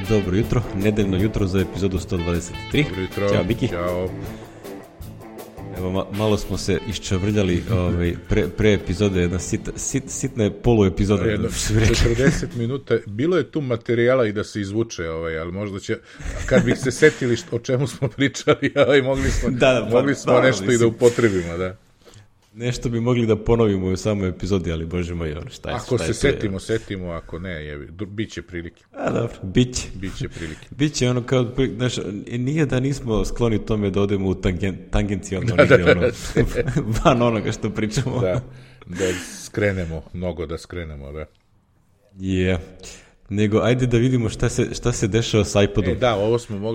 Dobro jutro, nedeljno jutro za epizodu 123. Dobro jutro. Ćao, Miki. Ćao. Evo, malo smo se iščavrljali pre epizode, jedna sitna poluepizoda. 40 minuta, bilo je tu materijala i da se izvuče, ali možda će, kad bih se setili o čemu smo pričali, mogli smo nešto i da upotrebimo, da. Nešto bi mogli da ponovimo u samoj epizodi, ali bože moj, šta je? Ako se setimo, ako ne, bit će prilike. Dobro, biće prilike. Biće ono kao, znaš, nije da nismo skloni tome da odemo u tangencijalno van onoga što pričamo. Da skrenemo, da. Yeah. Nego, ajde da vidimo šta se dešava sa iPodom.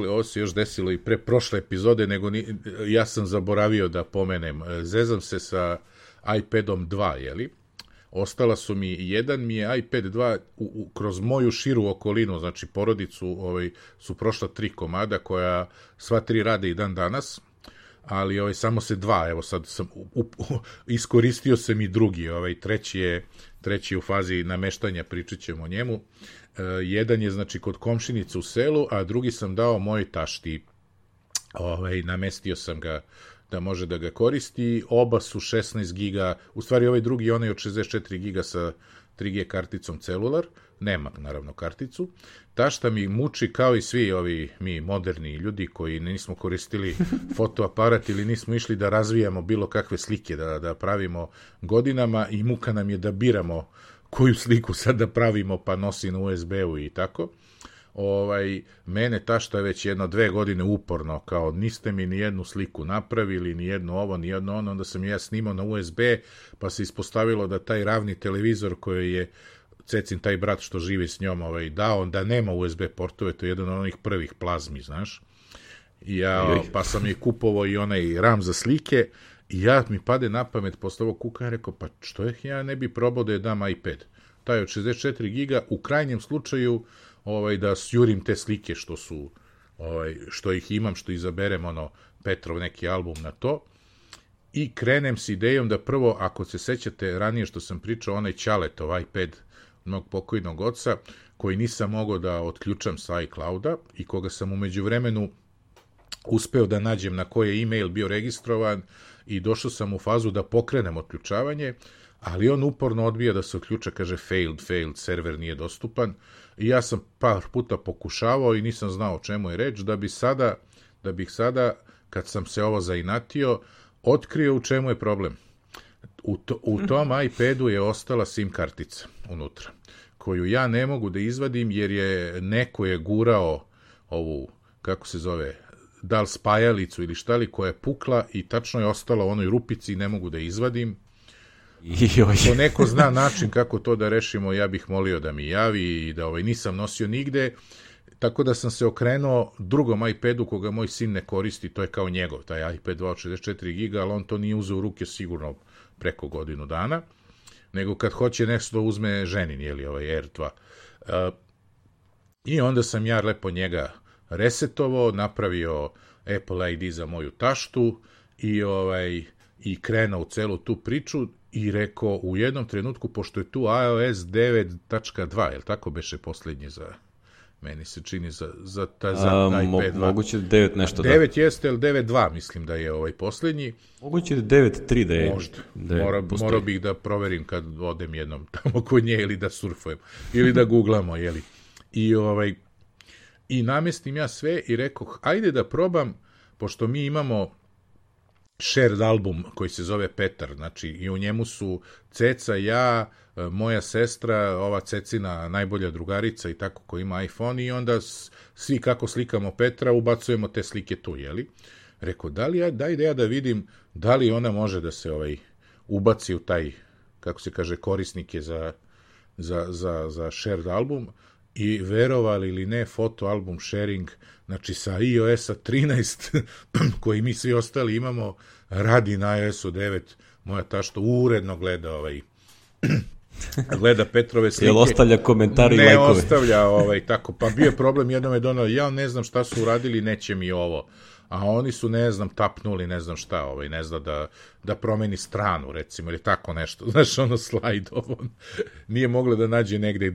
Ovo se još desilo i pre prošle epizode, nego ja sam zaboravio da pomenem. Zezam se sa iPadom 2, jeli? Ostala su jedan mi je iPad 2 kroz moju širu okolinu, znači porodicu, su prošla 3 komada koja sva 3 rade i dan danas, ali samo se 2, evo sad sam iskoristio sam i drugi, treći je u fazi nameštanja, pričat ćemo o njemu. Jedan je znači kod komšinice u selu, a drugi sam dao mojoj tašti. Namestio sam ga da može da ga koristi. Oba su 16 giga, u stvari ovaj drugi onaj od 64 giga sa 3G karticom celular, nema naravno karticu. Tašta mi muči kao i svi ovi mi moderni ljudi koji nismo koristili fotoaparat ili nismo išli da razvijamo bilo kakve slike da pravimo godinama i muka nam je da biramo koju sliku sad da pravimo pa nosi na USB-u i tako. Mene tašta već 1-2 godine uporno, kao niste mi ni jednu sliku napravili, ni jedno ovo, ni jedno ono, onda sam ja snimao na USB, pa se ispostavilo da taj ravni televizor koji je Cecin, taj brat što živi s njom, dao, da nema USB portove, to je jedan od onih prvih plazmi, znaš. Pa sam je kupovao i onaj RAM za slike, i mi pade na pamet posle ovog kuka, rekao, pa što ja ne bi probao da je dam iPad. Taj od 64 giga, u krajnjem slučaju, da sjurim te slike što ih imam, što izaberem, Petrov neki album na to, i krenem s idejom da prvo, ako se sećate ranije što sam pričao, onaj Ćaletov iPad mog pokojnog oca, koji nisam mogao da otključam sa iClouda i koga sam u međuvremenu uspeo da nađem na koji je e-mail bio registrovan i došao sam u fazu da pokrenem otključavanje, ali on uporno odbija da se otključa, kaže failed, server nije dostupan, i ja sam par puta pokušavao i nisam znao o čemu je reč, da bih sada, kad sam se ovo zainatio, otkrio u čemu je problem. U tom iPadu je ostala SIM kartica unutra, koju ja ne mogu da izvadim jer neko je gurao ovu, kako se zove, da li spajalicu ili šta li, koja je pukla i tačno je ostala u onoj rupici i ne mogu da izvadim. Ako neko zna način kako to da rešimo, ja bih molio da mi javi i da nisam nosio nigde, tako da sam se okrenuo drugom iPadu koga moj sin ne koristi, to je kao njegov, taj iPad 2 od 64 giga, ali on to nije uzeo u ruke sigurno preko godinu dana, nego kad hoće nešto uzme ženin, Air 2. I onda sam ja lepo njega resetovao, napravio Apple ID za moju taštu i krenuo u celu tu priču i rekao u jednom trenutku, pošto je tu iOS 9.2, je li tako beše poslednji meni se čini za taj iPad 2. Moguće 9 nešto. 9 jeste, ali 9.2 mislim da je poslednji. Moguće 9.3 da je. Možda. Morao bih da proverim kad odem jednom tamo kod nje ili da surfujem ili da googlamo, jeli. I namestim ja sve i rekao, ajde da probam, pošto mi imamo shared album koji se zove Petar, znači i u njemu su Ceca, ja, moja sestra, ova Cecina najbolja drugarica i tako, ko ima iPhone, i onda svi kako slikamo Petra ubacujemo te slike tu, jeli? Rekao, daj da ja da vidim da li ona može da se ubaci u taj, kako se kaže, korisnike za shared album. I verovali ili ne, foto album sharing, znači sa iOS-a 13, koji mi svi ostali imamo, radi na iOS-u 9, moja tašta uredno gleda gleda Petrove slike. Jel ostavlja komentari i lajkove? Ne ostavlja, tako, pa bio je problem, jednom je donao, ja ne znam šta su uradili, neće mi ovo. a oni su, ne znam, tapnuli, ne znam šta, ne zna da promeni stranu, recimo, ili tako nešto, znaš, slajd nije mogla da nađe negde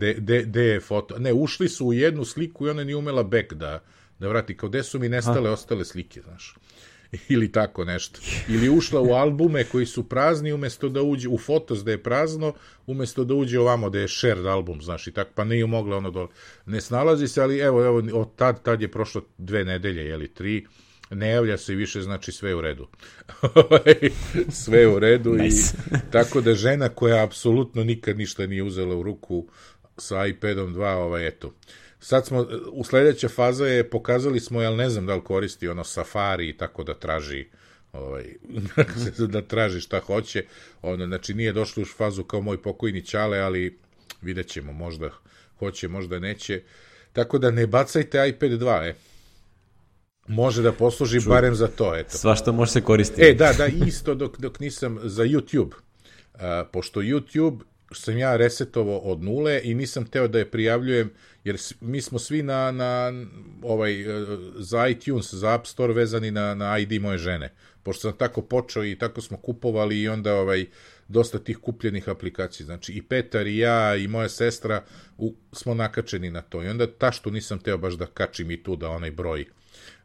gde je foto, ne, ušli su u jednu sliku i ona nije umela back da vrati, kao gde su mi nestale ostale slike, znaš, ili tako nešto, ili ušla u albume koji su prazni, umesto da uđe u fotos da je prazno, umesto da uđe ovamo da je shared album, znaš, i tako, pa nije mogla dole, ne snalazi se, ali evo, od tad je prošlo 2 nedelje, jeli 3, ne javlja se i više, znači sve je u redu. Sve je u redu nice. I tako da žena koja apsolutno nikad ništa nije uzela u ruku sa iPadom 2, eto. Sad smo, u sledeća faza je, pokazali smo, jel ne znam da li koristi Safari i tako da traži da traži šta hoće. Znači nije došlo u fazu kao moj pokojni Ćale, ali vidjet ćemo, možda hoće, možda neće. Tako da ne bacajte iPad 2, može da posluži barem za to, eto. Svašta može se koristiti. Da, isto dok nisam za YouTube. Pošto YouTube sam ja resetovao od nule i nisam teo da je prijavljujem, jer mi smo svi za iTunes, za App Store vezani na ID moje žene. Pošto sam tako počeo i tako smo kupovali i onda dosta tih kupljenih aplikacija. Znači i Petar i ja i moja sestra smo nakačeni na to. I onda taštu nisam teo baš da kačim i tu da onaj broj.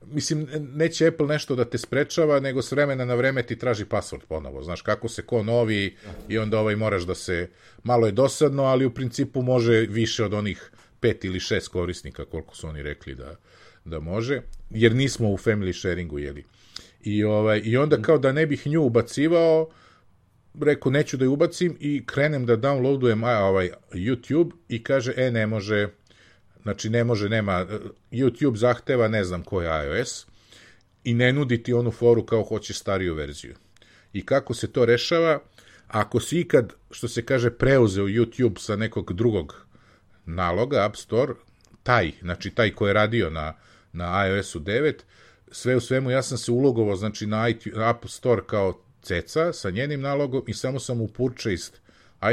Mislim, neće Apple nešto da te sprečava, nego s vremena na vreme ti traži password ponovo. Znaš, kako se ko novi i onda moraš da se... Malo je dosadno, ali u principu može više od onih 5 ili 6 korisnika, koliko su oni rekli da može, jer nismo u family sharingu, jeli. I onda kao da ne bih nju ubacivao, rekao neću da ju ubacim i krenem da downloadujem YouTube i kaže, ne može... Znači, ne može, nema, YouTube zahteva, ne znam ko je iOS, i ne nudi ti onu foru kao hoćeš stariju verziju. I kako se to rešava? Ako si ikad, što se kaže, preuzeo YouTube sa nekog drugog naloga, App Store, taj koji je radio na iOS-u 9, sve u svemu, ja sam se ulogovao, znači, na App Store kao ceca sa njenim nalogom i samo sam u Purchased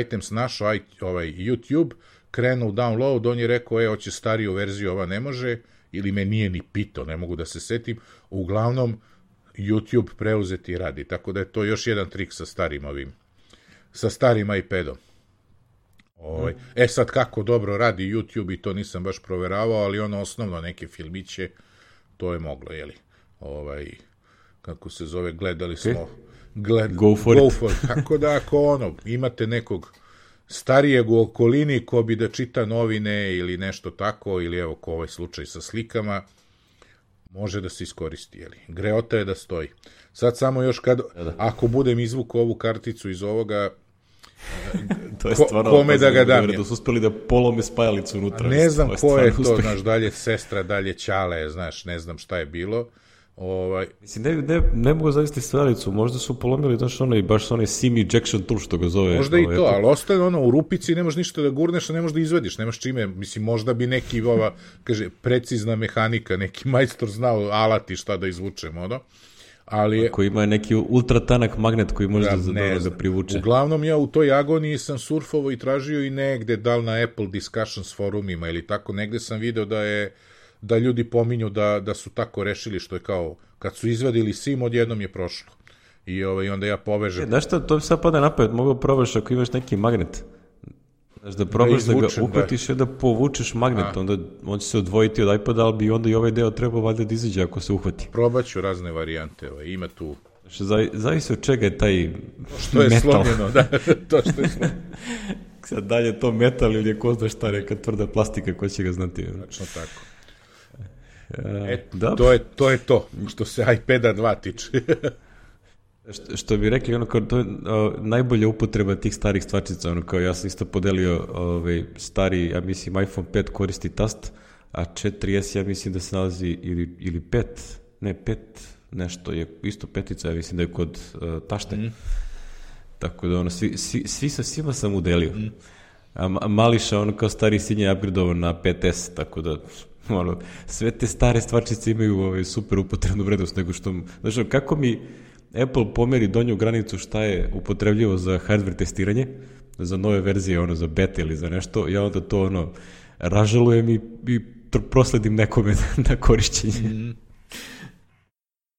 Items našao YouTube, krenuo u download, on je rekao, hoće stariju verziju, ova ne može, ili me nije ni pitao, ne mogu da se setim, uglavnom YouTube preuzeti i radi, tako da je to još jedan trik sa starim iPadom. Sad kako dobro radi YouTube i to nisam baš proveravao, ali osnovno neke filmiće, to je moglo, jeli, kako se zove, gledali smo, Go for it. Tako da ako imate nekog starijeg u okolini ko bi da čita novine ili nešto tako, ili evo ko ovaj slučaj sa slikama, može da se iskoristi, jeli. Greota je da stoji. Sad samo još ako budem izvukao ovu karticu iz ovoga, to je stvarno, kome da ga dam. Da su uspeli da polome spajalicu unutra. Ne znam ko je to, znaš, dalje sestra, dalje Ćale, znaš, ne znam šta je bilo. Mislim, ne mogu zavesti spajalicu, možda su polomili, znaš, baš onaj SIM ejection tool što ga zove. Možda i to, ali ostane u rupici, ne možeš ništa da gurneš, a ne možeš da izvediš, nemaš čime, mislim, možda bi neki, kaže, precizna mehanika, neki majstor znao alati šta da izvučemo, ali... Koji ima neki ultra tanak magnet koji može da privuče. Uglavnom, ja u toj agoniji sam surfovao i tražio i negde, da li na Apple Discussions forumima ili tako, negde sam video da ljudi pominju da su tako rešili, što je kao, kad su izvadili SIM, odjednom je prošlo. I onda ja povežem. Znaš šta, to bi sad pada napad, mogu probaš ako imaš neki magnet. Znaš, da probaš da ga uhvatiš i da povučeš magnet, onda on će se odvojiti od iPada, ali bi onda i ovaj deo trebao valjda da izađe ako se uhvati. Probaću razne varijante, ima tu... Zavisi od čega je taj što je metal. Slomljeno, da, to što je slomljeno. Sad dalje to metal ili je ko zna šta, neka tvrda plastika, ko će ga znati. Znači tako. To je to, što se iPada 2 tiče. Što bi rekli, to je najbolja upotreba tih starih stvarčica, kao ja sam isto podelio stari, ja mislim iPhone 5 koristi tast, a 4S ja mislim da se nalazi ili 5, ne 5, nešto je isto petica, ja mislim da je kod tašte. Tako da svi sa svima sam udelio. A Mališa, kao stari sin je upgradovan na 5S, tako da sve te stare stvarčice imaju super upotrebnu vrednost, nego što, znaš, kako mi Apple pomeri donju granicu šta je upotrebljivo za hardware testiranje, za nove verzije, za beta ili za nešto, ja onda to ražalujem i prosledim nekome na korišćenje.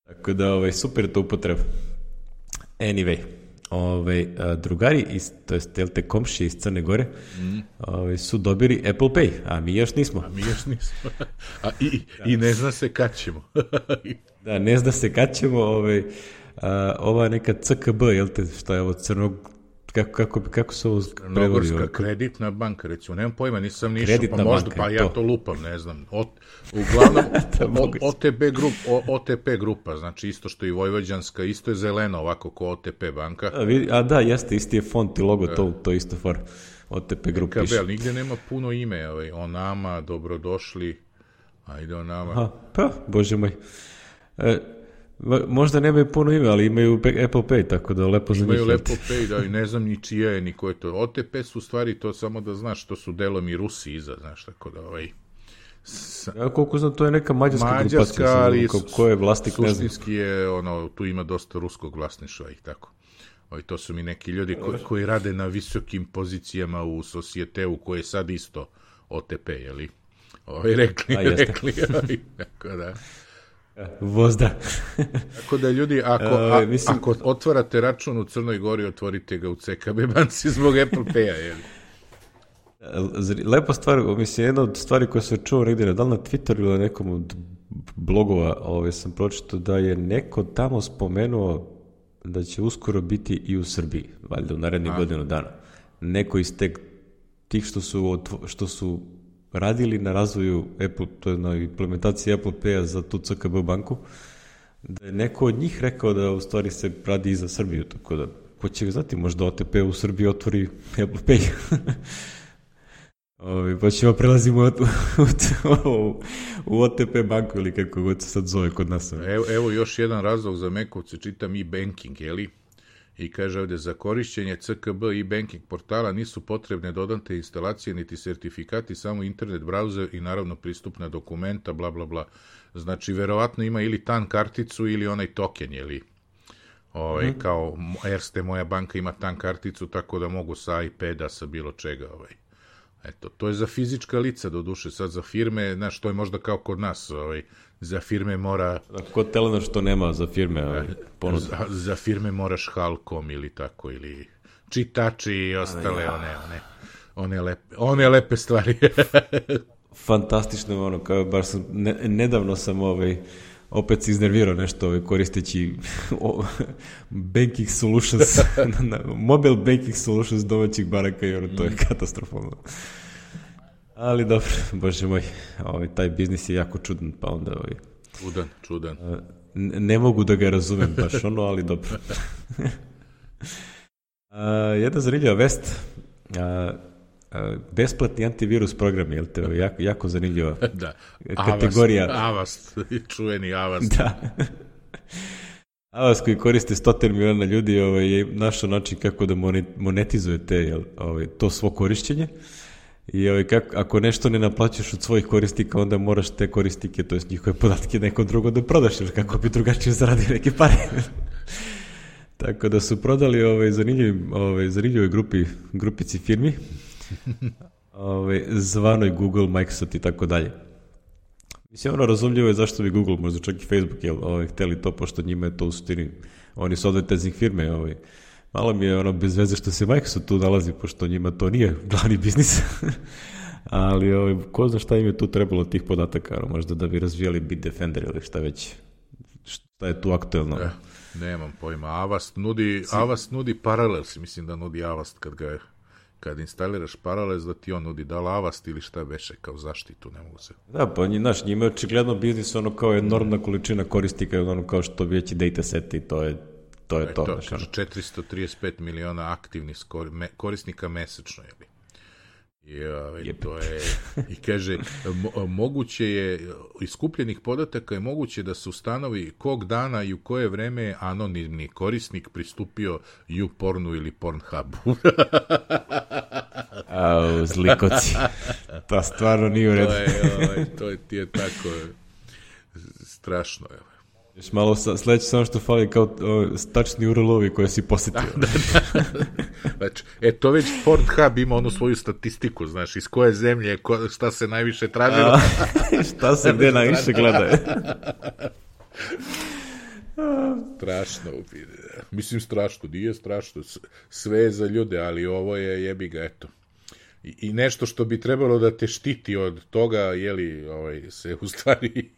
Tako da, super je to upotreba. Anyway, drugari, to jest komšije iz Crne Gore, su dobili Apple Pay, a mi još nismo. I ne zna se kad ćemo. Da, ne zna se kad ćemo, ova neka CKB, jel te, šta je ovo kako se ovo prevodi? Crnogorska kreditna banka, recimo, nemam pojma, nisam nišao, pa možda, pa ja to lupam, ne znam. Uglavnom, OTP grupa, znači isto što i Vojvođanska, isto je zeleno ovako ko OTP banka. Da, jeste, isti je font i logo, to isto for OTP grupa piše. Ali nigde nema puno ime, o nama, dobrodošli, ajde o nama. Pa, bože moj. Možda nemaju puno ime, ali imaju Apple Pay, tako da lepo za njih. Imaju Apple Pay, da, i ne znam ni čija je, ni ko je to. OTP su stvari, to samo da znaš, to su delom i Rusi iza, znaš, tako da Ja koliko znam, to je neka mađarska grupacija, ali ko je vlasnik, ne znam. Suštinski je, tu ima dosta ruskog vlasništva i tako. To su mi neki ljudi koji rade na visokim pozicijama u Societeu, koji je sad isto OTP, jeli? Rekli, tako da... Vozda. Tako da ljudi, ako otvarate račun u Crnoj Gori, otvorite ga u CKB banci zbog Apple Pay-a, jel? Lepa stvar, mislim, jedna od stvari koje sam čuo negdje, da li na Twitteru ili na nekom od blogova, sam pročitao da je neko tamo spomenuo da će uskoro biti i u Srbiji, valjda u narednih godinu dana. Neko iz tih što su radili na razvoju Apple, to je na implementaciji Apple Pay-a za tu CKB banku, da je neko od njih rekao da u stvari se radi i za Srbiju, tako da, ko će znati, možda OTP u Srbiji otvori Apple Pay. Pa ćemo prelazimo u OTP banku ili kako god se sad zove kod nas. Evo još jedan razlog za Mekovce, čitam e-banking, jeli? I kaže ovdje, za korišćenje CKB i banking portala nisu potrebne dodatne instalacije niti sertifikati, samo internet browser i naravno pristupna dokumenta, bla bla bla. Znači, verovatno ima ili TAN karticu ili onaj token, jeli? Kao Erste, moja banka ima TAN karticu, tako da mogu sa iPada, sa bilo čega. Eto, to je za fizička lica, doduše, sad za firme, znaš, to je možda kao kod nas, za firme mora... Kod Telenor što nema za firme ponuda. Za firme moraš Halkom ili tako, ili čitači i ostale, one lepe stvari. Fantastično, baš sam, nedavno sam opet se iznervirao nešto koristeći banking solutions, mobile banking solutions domaćih banaka i to je katastrofalno. Ali dobro, bože moj, taj biznis je jako čudan, pa onda... Čudan. Ne mogu da ga razumem baš ali dobro. Jedna zanimljiva vest, besplatni antivirus program, jel te, jako zanimljiva kategorija. Avast, čuveni Avast. Da. Avast koji koriste 100 miliona ljudi je našao način kako da monetizuje to svo korišćenje. I ako nešto ne naplaćaš od svojih korisnika, onda moraš te koristike, to jest njihove podatke nekom drugo da prodaš, jer kako bi drugačije zaradio neke pare. Tako da su prodali zanimljivoj grupici firmi, zvanoj Google, Microsoft i tako dalje. Mislim, razumljivo je zašto bi Google, možda čak i Facebook, hteli to, pošto njima je to u suštini, oni su advertising firme, malo mi je bez veze što se Microsoft tu nalazi, pošto njima to nije glavni biznis, ali ko zna šta im je tu trebalo tih podataka, možda da bi razvijali Bitdefender ili šta već, šta je tu aktuelno. Nemam pojma, Avast nudi Parallels, mislim da nudi Avast kad instaliraš Parallels, da ti on nudi da li Avast ili šta beše kao zaštitu, ne mogu se. Da, pa njima je očigledno biznis kao enormna količina korisnika, kao što veći dataset i to je to. 435 miliona aktivnih korisnika mesečno, jel? To je, i kaže, moguće je, iz skupljenih podataka je moguće da se ustanovi kog dana i u koje vreme je anonimni korisnik pristupio YouPornu ili Pornhubu. Zlikoci. To stvarno nije u redu. To ti je tako strašno, evo. Još malo sledeće samo što fali kao tačni URL-ovi koje si posetio. Znači, to već Pornhub ima onu svoju statistiku, znaš, iz koje zemlje, šta se najviše tražilo. Šta se gde najviše gleda. Strašno. Mislim, strašno, nije strašno. Sve je za ljude, ali ovo je jebi ga, eto. I nešto što bi trebalo da te štiti od toga, jeli, se u stvari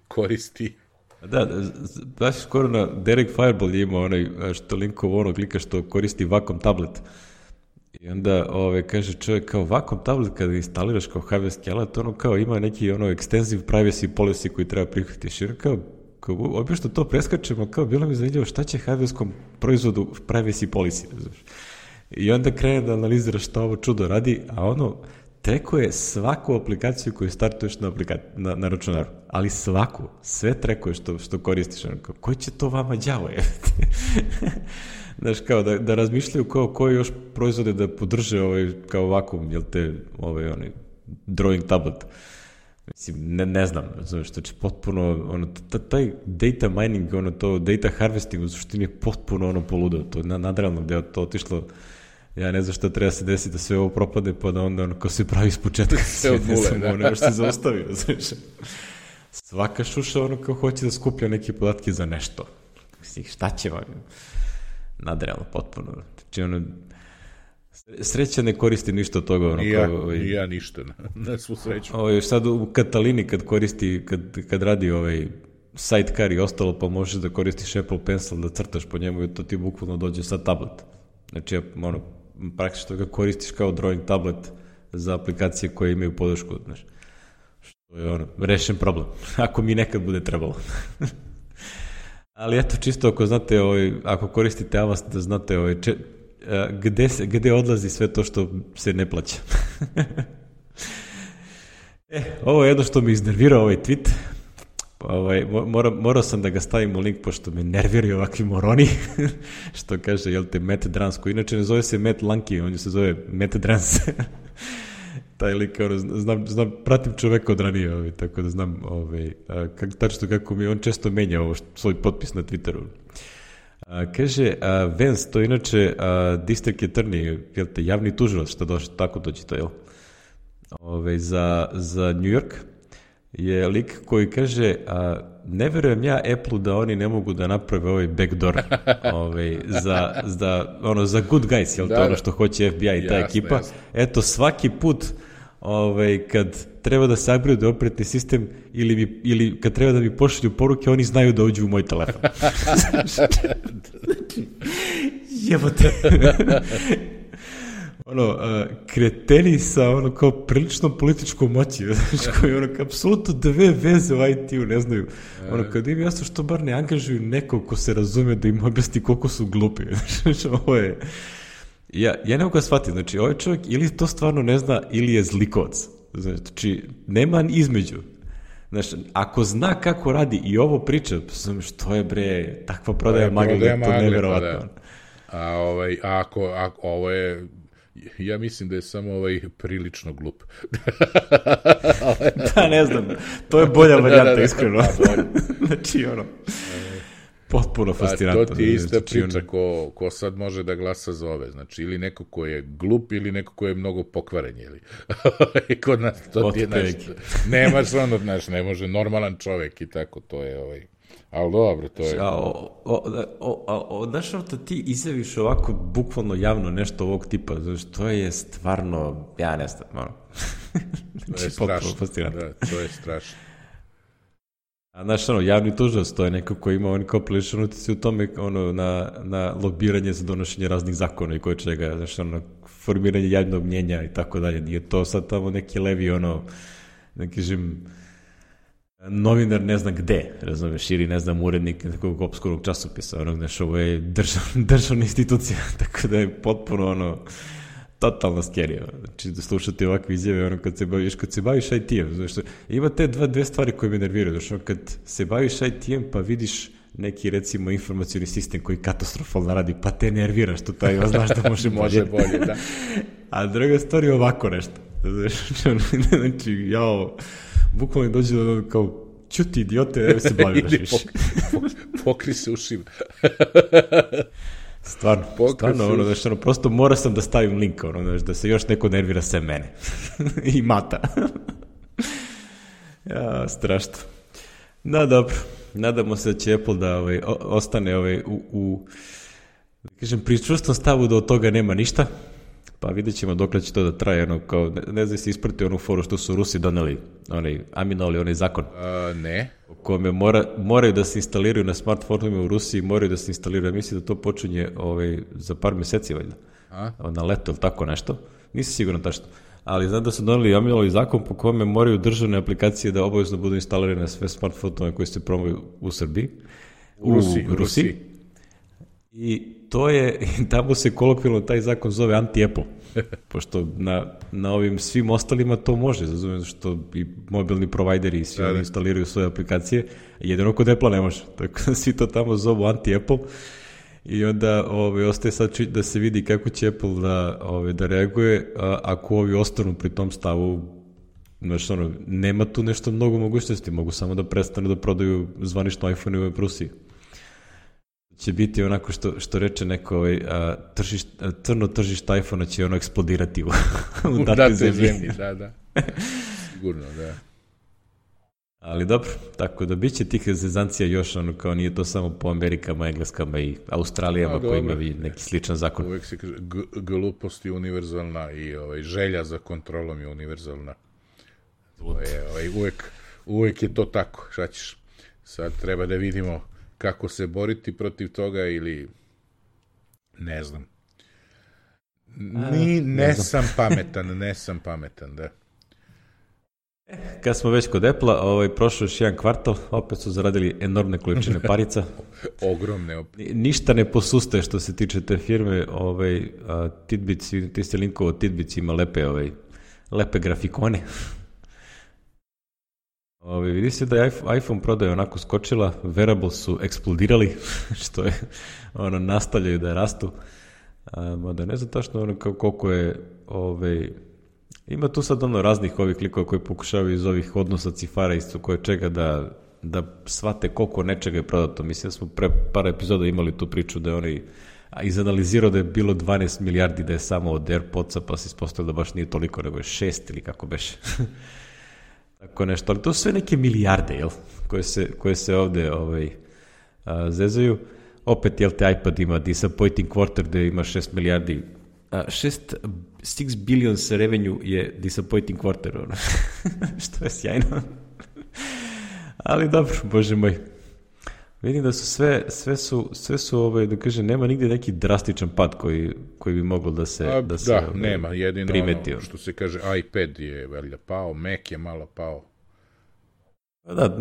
koristi. Da, baš skoro na Derek Fireball je imao onaj što linkovo onog lika što koristi Wacom tablet. I onda kaže čovjek kao Wacom tablet kada instaliraš kao hardwareski alat, ono kao ima neki extensive privacy policy koji treba prihvatiti. I kao obično to preskačemo, kao bilo mi zanimljivo šta će hardwareskom proizvodu privacy policy, znaš. I onda krene da analizira šta ovo čudo radi, a trekuje svaku aplikaciju koju startuješ na računaru. Ali svaku. Sve trekuje što koristiš. Koji će to vama đavo je? Znaš, kao da razmišljaju koji još proizvode da podrže kao vakum, jel te, drawing tablet. Mislim, ne znam, znaš, što će potpuno, taj data mining, to data harvesting u suštini je potpuno poludao. To je nadrealno gde je to otišlo. Ja ne znam šta treba se desiti da sve ovo propade, pa da onda ko se pravi iz početka sve od nule, ne još se zaustavio, znaš. Svaka šuša kao hoće da skuplja neke podatke za nešto. Mislim, šta će vam? Nadrealno, potpuno. Znači, sreća ne koristi ništa od toga. Ja ništa, na svu sreću. Sad u Katalini kad radi sidecar i ostalo, pa možeš da koristiš Apple Pencil da crtaš po njemu i to ti bukvalno dođe sa tablet. Znači, praktično ga koristiš kao drawing tablet za aplikacije koje imaju podršku, znaš. Što je rešen problem, ako mi nekad bude trebalo. Ali eto, čisto ako znate, ako koristite Avast, da znate gde odlazi sve to što se ne plaća. Ovo je jedno što mi iznervirao ovaj tweet. Morao sam da ga stavim u link, pošto me nerviraju ovakvi moroni, što kaže, jel te, Matt Drance, koji inače ne zove se Matt Lanky, on se zove Matt Drance. Taj lik, znam, pratim čoveka od ranije, tako da znam tačno kako mi on često menja svoj potpis na Twitteru. Kaže, Vance, to je inače district attorney, jel te, javni tužilac, što tako dođe to, jel? Za New York je lik koji kaže, ne verujem ja Apple-u da oni ne mogu da naprave ovaj backdoor za good guys, jel to ono što hoće FBI i ta ekipa. Eto, svaki put kad treba da se upgrade operativni sistem ili kad treba da mi pošalju poruke, oni znaju da uđu u moj telefon. Jebote. Kreteni sa kao prilično političkom moći, koji apsolutno dve veze u IT-u ne znaju. Kad im jasno što bar ne angažuju nekog ko se razume da im objasni koliko su glupi. Ovo je... Ja ne mogu ga shvatiti, znači ovaj čovjek ili to stvarno ne zna ili je zlikovac. Znači, nema između. Znači, ako zna kako radi i ovo priča, što je bre, takva prodaja magle, to neverovatno. A ako ovo je... Ja mislim da je samo prilično glup. Da, ne znam. To je bolja varijanta, iskreno. Znači, potpuno fascinantno. To ti je ista priča ko sad može da glasa za ove. Znači, ili neko ko je glup, ili neko ko je mnogo pokvaren. Kod nas to ti je nešto. Nemaš ono, znaš, ne može normalan čovek i tako, to je ali dobro, to je... Znaš, ti izjaviš ovako bukvalno javno nešto ovog tipa, znači, to je stvarno, ja ne znam, to je strašno, to je strašno. A znaš, javni tužilac, to je neko ko ima kao prilično utici u tome, na lobiranje za donošenje raznih zakona i koje čega, znaš, formiranje javnog mnjenja i tako dalje. Nije to sad tamo neki levi, neki novinar ne zna gde, razumeš, ili ne znam, urednik nekog opskurnog časopisa, znaš, ovo je državna institucija, tako da je potpuno, totalno scary, znači da slušati ovakve izjave, kad se baviš IT-em, znaš, ima te dve stvari koje me nerviraju, znaš, kad se baviš IT-em pa vidiš neki, recimo, informacioni sistem koji katastrofalno radi, pa te nerviraš, to taj, znaš da može bolje, da. A druga stvar je ovako nešto, znači, bukvalno dođe kao, ćuti idiote, evo se baviraš više. Pokri se ušima. Stvarno, prosto mora sam da stavim link, da se još neko nervira sve mene. I mata. Ja, strašno. Da, dobro. Nadamo se da će Apple da ostane kažem, pri čvrstom stavu da od toga nema ništa, pa vidjet ćemo dokle će to da traje, kao, ne znam si isprati onu foru što su Rusi doneli, aminovali onaj zakon. Ne. U kome moraju da se instaliraju na smartfonima u Rusiji, moraju da se instaliraju, mislim da to počinje za par meseci, valjda. Na leto ili tako nešto. Nisam siguran tačno. Ali znam da su doneli aminovali zakon po kome moraju državne aplikacije da obavezno budu instalirane na sve smartfonove koji se promuju u Srbiji. U Rusiji. I to je, tamo se kolokvijalno taj zakon zove anti-Apple, pošto na ovim svim ostalima to može, zato što i mobilni provajderi i svi oni instaliraju svoje aplikacije, jedino kod Apple ne može, tako da svi to tamo zovu anti-Apple i onda ostaje sad da se vidi kako će Apple da reaguje, ako ovi ostanu pri tom stavu, znači nema tu nešto mnogo mogućnosti, mogu samo da prestanu da prodaju zvanično iPhone u Rusiji. Će biti onako što reče neko crno tržište iPhone-a će eksplodirati u datoj zemlji. Da. Sigurno, da. Ali dobro, tako da bit će tih zezancija još, kao nije to samo po Amerikama, Engleskama i Australijama koji imaju neki sličan zakon. Uvek se kaže, glupost je univerzalna i želja za kontrolom je univerzalna. Uvek je to tako, šta ćeš? Sad treba da vidimo kako se boriti protiv toga ili ne znam. Nesam pametan, da. Kad smo već kod Apple-a, prošao još jedan kvartal, opet su zaradili enormne količine parica. Ogromne. Ništa ne posustaje što se tiče te firme. Tidbits, ti ste linkovo, Tidbits ima lepe grafikone. Vidi se da je iPhone prodaja onako skočila, wearables su eksplodirali, što je, nastavljaju da rastu. Mada ne znam tačno koliko je, ima tu sad raznih ovih klikova koji pokušavaju iz ovih odnosa cifara isto koje čega da shvate koliko nečega je prodato. Mislim da smo pre par epizoda imali tu priču da je izanalizirao da je bilo 12 milijardi da je samo od AirPodsa, pa se ispostavilo da baš nije toliko, nego je 6 ili kako beše. Tako nešto, ali to su sve neke milijarde, jel? Koje se ovde zezaju. Opet, jel te iPad ima disappointing quarter gde ima 6 milijardi. 6 billions revenue je disappointing quarter, što je sjajno. Ali dobro, bože moj. Vidim da su sve su da kažem, nema nigde neki drastičan pad koji bi moglo da se nema, jedino primeti. Što se kaže, iPad je valjda pao, Mac je malo pao. Da,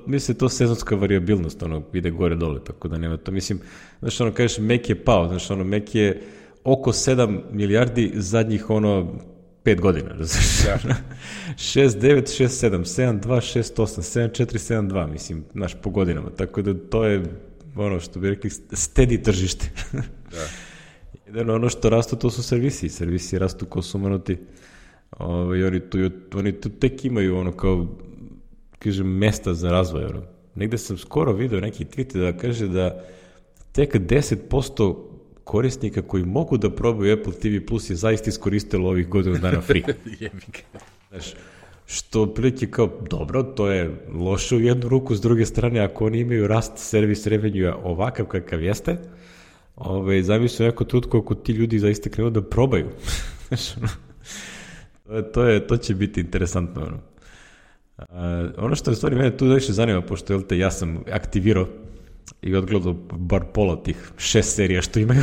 mislim to sezonska variabilnost, ide gore dole, tako da nema to. Mislim, znaš, kažeš, Mac je pao, znaš, Mac je oko 7 milijardi zadnjih 5 godina, različno. 6, 9, 6, 7, 7, 2, 6, 8, 7, 4, 7, 2, mislim, naš po godinama, tako da to je što bi rekli steady tržište. Da. Jedino ono što rastu, to su servisi rastu ko sumanuti, oni tu tek imaju kao, kažem, mesta za razvoj. Negde sam skoro video neki tweet da kaže da tek 10% korisnika koji mogu da probaju Apple TV Plus je zaista iskoristilo ovih godinu dana free. Znaš, što prilike kao, dobro, to je loše u jednu ruku, s druge strane, ako oni imaju rast servis revenue ovakav kakav jeste, zamisli neko trutko ako ti ljudi zaista krenu da probaju. Znaš, to će biti interesantno. Ono što je stvari mene tu više zanima, pošto ja sam aktivirao i odgledao bar pola tih 6 serija što imaju.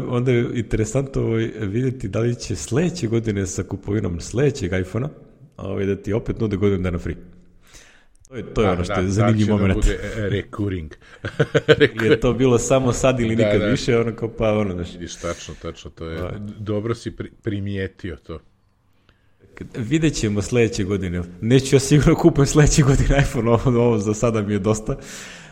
Onda je interesantno vidjeti da li će sledeće godine sa kupovinom sledećeg iPhone-a da ti opet nude godinu dana free. To je ono što je zanimljiv moment. Da će da bude recurring. Je to bilo samo sad ili nikad više, Vidiš, tačno, to je. Dobro si primijetio to. Vidjet ćemo sledeće godine. Neću ja sigurno kupujem sledeće godine iPhone, ovo za sada mi je dosta,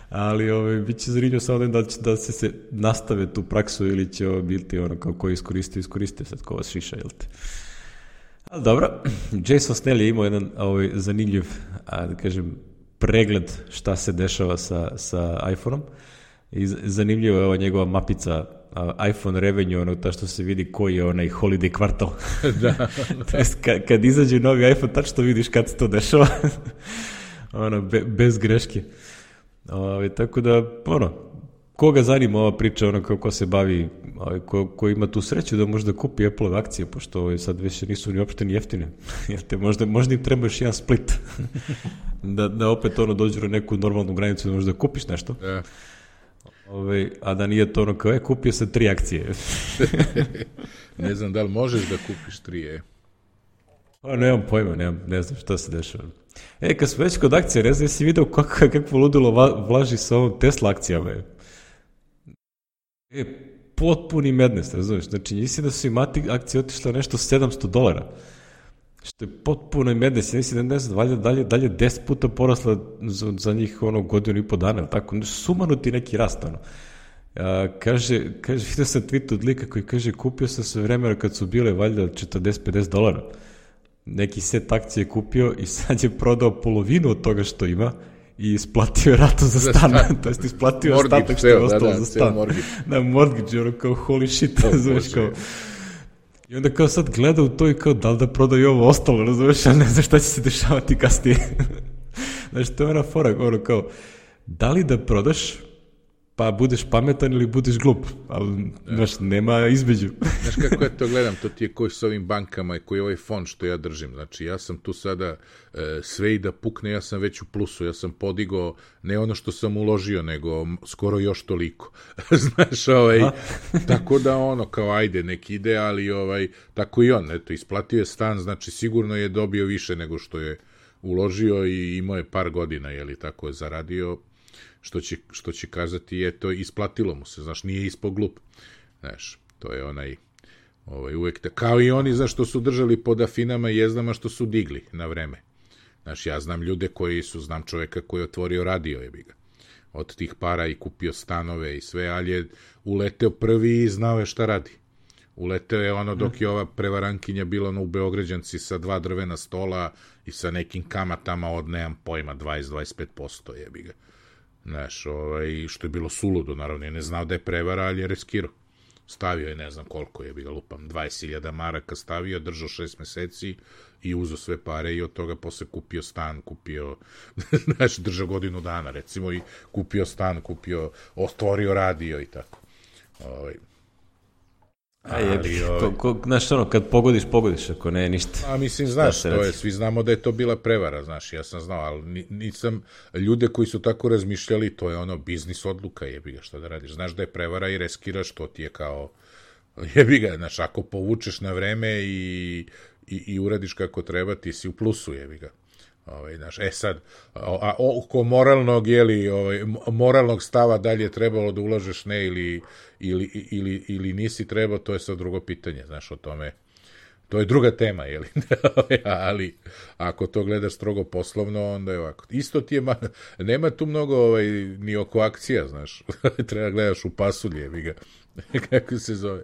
ali bit će zanimljivo samo da će da se nastave tu praksu ili će ovo biti kao ko iskoriste sad ko vas šiša, jel te? Ali dobro, Jason Snell je imao jedan zanimljiv, da kažem, pregled šta se dešava sa iPhone-om i zanimljiva je ova njegova mapica iPhone revenue, ono ta što se vidi koji je onaj holiday kvartal. Da. To jest, kad izađe novi iPhone, tačno vidiš kad se to dešava. Ono, bez greške. Tako da, ono, koga zanima ova priča, ono, ko se bavi, ko ima tu sreću da može da kupi Apple akcije, pošto sad više nisu ni uopšte ni jeftine. Jer te možda im treba još jedan split. da opet ono dođu na neku normalnu granicu da možeš da kupiš nešto. Da. A da nije to ono kao, kupio sam 3 akcije. Ne znam da li možeš da kupiš 3, Nemam pojma, ne znam šta se dešava. Kad smo već kod akcije, ne znam, jesi vidio kakvo ludilo vlaži sa ovom Tesla akcijama. Potpuni madness, razumiješ? Znači, mislim da su im akcije otišle nešto $700. Što je potpuno madness. Ja mislim da ne znam, dalje 10 puta porasla za njih godinu i po dana, tako, sumanuti neki rast, ono. Kaže, vidio sam tweet od lika koji kaže, kupio sam sve vremena kad su bile valjda $40-50. Neki set akcije kupio i sad je prodao polovinu od toga što ima i isplatio je ratu za stan. To jest isplatio ostatak što je ostalo za stan. Na mortgage, ono kao holy shit, razumeš kao. I onda kao sad gleda u to i kao da li da prodaju ovo ostalo, razumeš, ali ne znam šta će se dešavati kasnije. Znači, to je ona fora, ono kao, da li da prodaš, pa budeš pametan ili budeš glup, ali znaš, nema između. Znaš kako ja to gledam, to ti je koji s ovim bankama i koji je ovaj fond što ja držim. Znači, ja sam tu sada sve i da pukne, ja sam već u plusu, ja sam podigao ne ono što sam uložio, nego skoro još toliko. Znaš, tako da ono, kao ajde, nek ide, ali tako i on, eto, isplatio je stan, znači sigurno je dobio više nego što je uložio i imao je par godina, jeli, tako je zaradio, što će kazati, eto, isplatilo mu se, znaš, nije ispod glup. Znaš, to je uvek, kao i oni, znaš, što su držali pod afinama i jezdama, što su digli na vreme. Znaš, ja znam ljude znam čoveka koji je otvorio radio, jebi ga, od tih para i kupio stanove i sve, ali je uleteo prvi i znao je šta radi. Uleteo je dok je ova prevarankinja bila u Beograđanci sa 2 drvena stola i sa nekim kamatama od, nemam pojma, 20-25%, jebi ga. Znaš, što je bilo suludo, naravno, je ne znao da je prevara, ali je riskirao. Stavio je, ne znam koliko je, bi ga lupam, 20.000 maraka stavio, držao 6 meseci i uzeo sve pare i od toga posle kupio stan, znaš, držao godinu dana, recimo, i kupio stan, otvorio radio i tako. Znaš, kad pogodiš, ako ne, ništa. A mislim, znaš, svi znamo da je to bila prevara, znaš, ja sam znao, ali nisam, ljude koji su tako razmišljali, to je biznis odluka, jebi ga, što da radiš, znaš da je prevara i reskiraš, to ti je kao, jebi ga, znaš, ako povučeš na vreme i uradiš kako treba, ti si u plusu, jebi ga. Znaš, sad, oko moralnog stava da li je trebalo da ulažeš ne ili nisi trebao, to je sad drugo pitanje, znaš, o tome, to je druga tema, jeli, ali ako to gledaš strogo poslovno, onda je ovako. Isto ti je, nema tu mnogo ni oko akcija, znaš, treba gledaš u pasulje, jebi ga, kako se zove.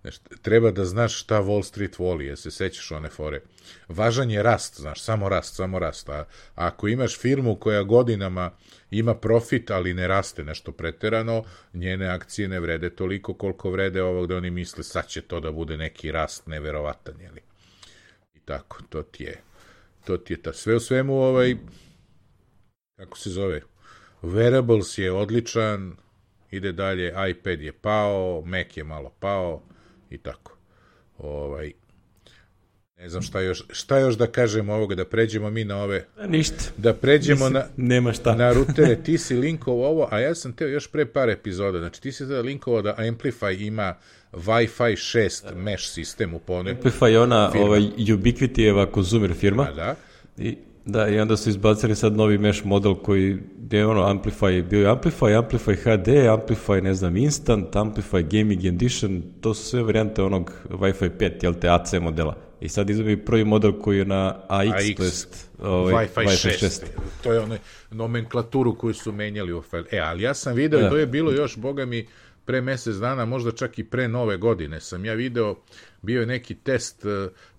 Znaš, treba da znaš šta Wall Street voli, jer se sećaš one fore. Važan je rast, znaš, samo rast. A ako imaš firmu koja godinama ima profit, ali ne raste nešto preterano, njene akcije ne vrede toliko koliko vrede ovog da oni misle sad će to da bude neki rast neverovatan, jeli. I tako, to ti je ta. Sve u svemu, kako se zove, Wearables je odličan, ide dalje, iPad je pao, Mac je malo pao, i tako. Ne znam šta još da kažem ovoga, da pređemo mi na ove... Ništa. Da pređemo nema šta. Na rutere. Ti si linkovao ovo, a ja sam teo još pre par epizoda. Znači, ti si tada linkovao da Amplify ima Wi-Fi 6 mesh sistem u pone. Amplify je ona Ubiquity-eva konzumer firma. Da. I onda su izbacili sad novi mesh model koji je Amplify, bio je Amplify HD, Amplify, ne znam, Instant, Amplify Gaming Edition, to su sve varijante onog Wi-Fi 5, jel te, AC modela. I sad izbili prvi model koji je na AX, to jest Wi-Fi 6. To je onaj nomenklaturu koju su menjali u ali ja sam video, to je bilo još, boga mi, pre mesec dana, možda čak i pre nove godine, sam ja video, bio je neki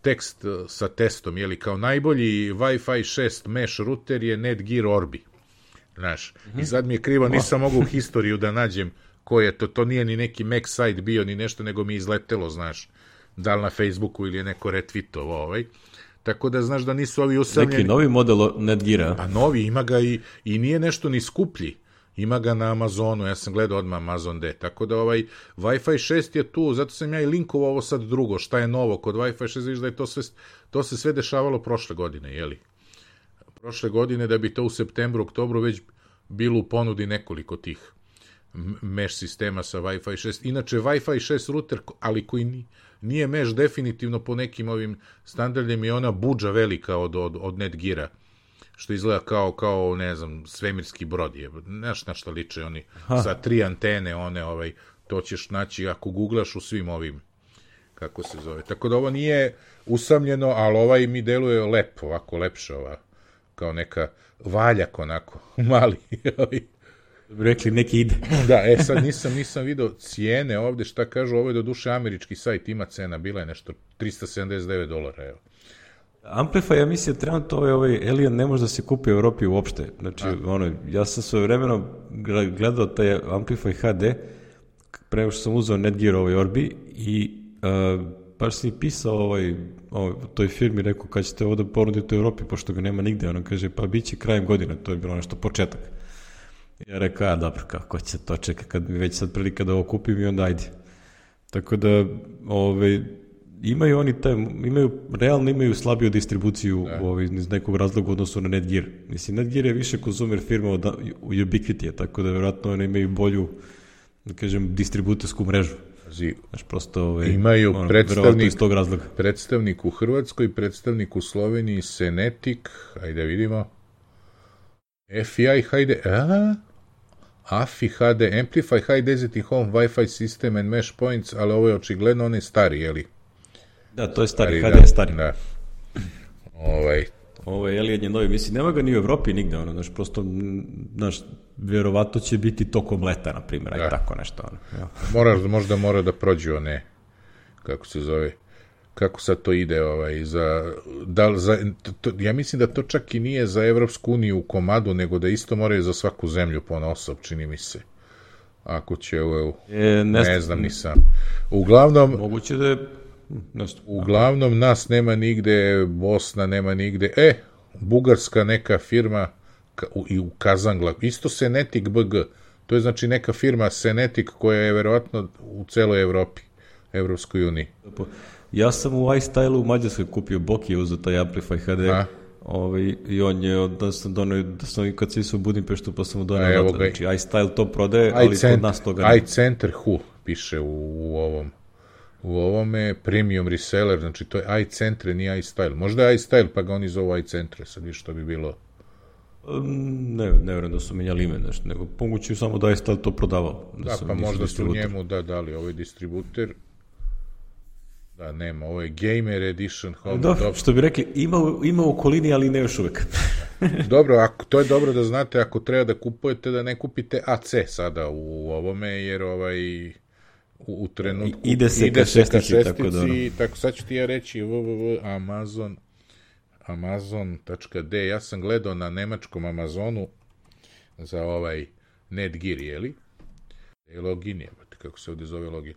tekst sa testom, jeli, kao najbolji Wi-Fi 6 mesh router je Netgear Orbi. Znaš, i sad mi je krivo, nisam mogu u historiju da nađem ko je to nije ni neki Mac site bio, ni nešto, nego mi izletelo, znaš, da li na Facebooku ili je neko retweetovo, Tako da znaš da nisu ovi usamljeni. Neki novi model Netgeara. Pa novi, ima ga i nije nešto ni skuplji. Ima ga na Amazonu, ja sam gledao odmah Amazon D. Tako da Wi-Fi 6 je tu, zato sam ja i linkovao ovo sad drugo, šta je novo kod Wi-Fi 6, vidiš da je to se sve dešavalo prošle godine, jeli? Prošle godine da bi to u septembru, oktobru već bilo u ponudi nekoliko tih mesh sistema sa Wi-Fi 6. Inače, Wi-Fi 6 router, ali koji nije mesh definitivno po nekim ovim standardima, je ona budža velika od Netgeara, što izgleda kao ne znam, svemirski brod je. Znaš na šta liče oni, sa 3 antene, to ćeš naći ako googlaš u svim ovim, kako se zove. Tako da ovo nije usamljeno, ali mi deluje lepo, ovako lepše, kao neka valjak onako, mali. Rekli neki ide. Da, sad nisam video cijene ovde, šta kažu, ovo je do duše američki sajt, ima cena, bila je nešto $379, evo. Amplify, ja mislim, trenutno ovaj Alien ne može da se kupi u Evropi uopšte. Znači, ja sam svojevremeno gledao taj Amplify HD, pre nego što sam uzeo Netgear Orbi i baš sam i pisao toj firmi, rekao kad ćete ovo da ponudite u Evropi, pošto ga nema nigde, ono kaže, pa bit će krajem godine, to je bilo nešto početak. Ja rekao, dobro, kako će to čeka, kad mi već sad prilika da ovo kupim i onda ajde. Tako da, imaju oni realno imaju slabiju distribuciju iz nekog razloga u odnosu na Netgear. Mislim, Netgear je više konzumer firma od Ubiquiti, tako da vjerojatno oni imaju bolju, da kažem, distributersku mrežu. Znaš, prosto imaju predstavnik u Hrvatskoj, predstavnik u Sloveniji, Senetic, ajde vidimo, FI HD, AFI HD, Amplify High Density Home Wi-Fi System and Mesh Points, ali ovo je očigledno onaj stari, jeli? Da, to je stari, HD je stari. Da. Ovo je Alien je novi, mislim, nema ga ni u Evropi nigde, znaš, prosto, znaš, vjerovatno će biti tokom leta, na primjer, aj tako nešto. Možda mora da prođu one, kako se zove, kako sad to ide, ja mislim da to čak i nije za Evropsku uniju u komadu, nego da isto moraju za svaku zemlju ponosob, čini mi se. Ako će, ne znam, nisam. Uglavnom, moguće da je... Uglavnom nas nema nigde, Bosna nema nigde, bugarska neka firma i u Kazangla, isto Senetic BG, to je znači neka firma Senetic koja je verovatno u celoj Evropi, Evropskoj uniji. Ja sam u iStyle-u u Mađarskoj kupio Boki je uzeo taj Amplify HD i on je, da sam kad se išao u Budimpeštu pa sam mu donio odatle, znači iStyle to prodaje, ali kod nas toga ne. iCenter Hu piše u ovome premium reseller, znači to je iCentre, nije iStyle. Možda je iStyle, pa ga oni zovu iCentre, sad viš što bi bilo. Ne vjerujem da su menjali ime nešto, nego pomoću samo da iStyle to prodavao. Da, pa možda su njemu dali ovaj distributer. Da, nema, ovo je Gamer Edition. Dobro, što bi rekli, ima u okolini, ali ne još uvek. Dobro, to je dobro da znate, ako treba da kupujete, da ne kupite AC sada u ovome, jer u trenutku ide se ka šestici, tako sad ću ti ja reći Amazon.de, ja sam gledao na nemačkom Amazonu za Netgear, jeli? Login je, kako se ovdje zove login?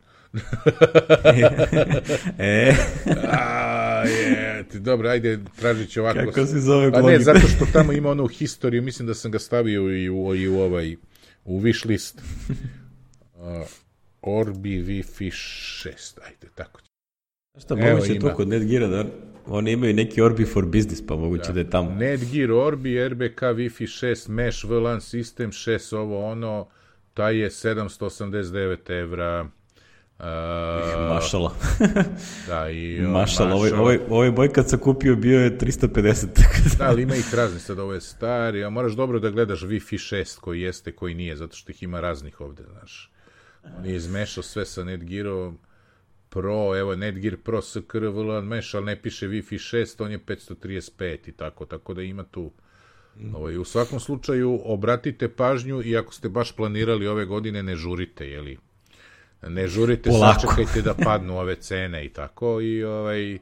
Dobro, ajde, tražit ću ovako. Kako se zove login? Ne, zato što tamo ima onu historiju, mislim da sam ga stavio u wish list. Orbi Wi-Fi 6, ajde, tako će. Šta, moguće je to kod Netgeara, da? Oni imaju neki Orbi for Business, pa moguće da je tamo. Netgear Orbi, RBK Wi-Fi 6, Mesh VLAN System 6, taj je 789 evra. Mašala. Da, i mašala. Ovaj boj kad sam kupio bio je 350. Da, ali ima ih raznih, sad ovo je stari, a moraš dobro da gledaš Wi-Fi 6 koji jeste, koji nije, zato što ih ima raznih ovde, znaš. On je izmešao sve sa Netgearom Pro, evo Netgear Pro SKR VLAN Mesh, ali ne piše Wi-Fi 6, on je 535 i tako da ima tu. U svakom slučaju obratite pažnju i ako ste baš planirali ove godine, ne žurite, jeli? Ne žurite, sačekajte da padnu ove cene i tako i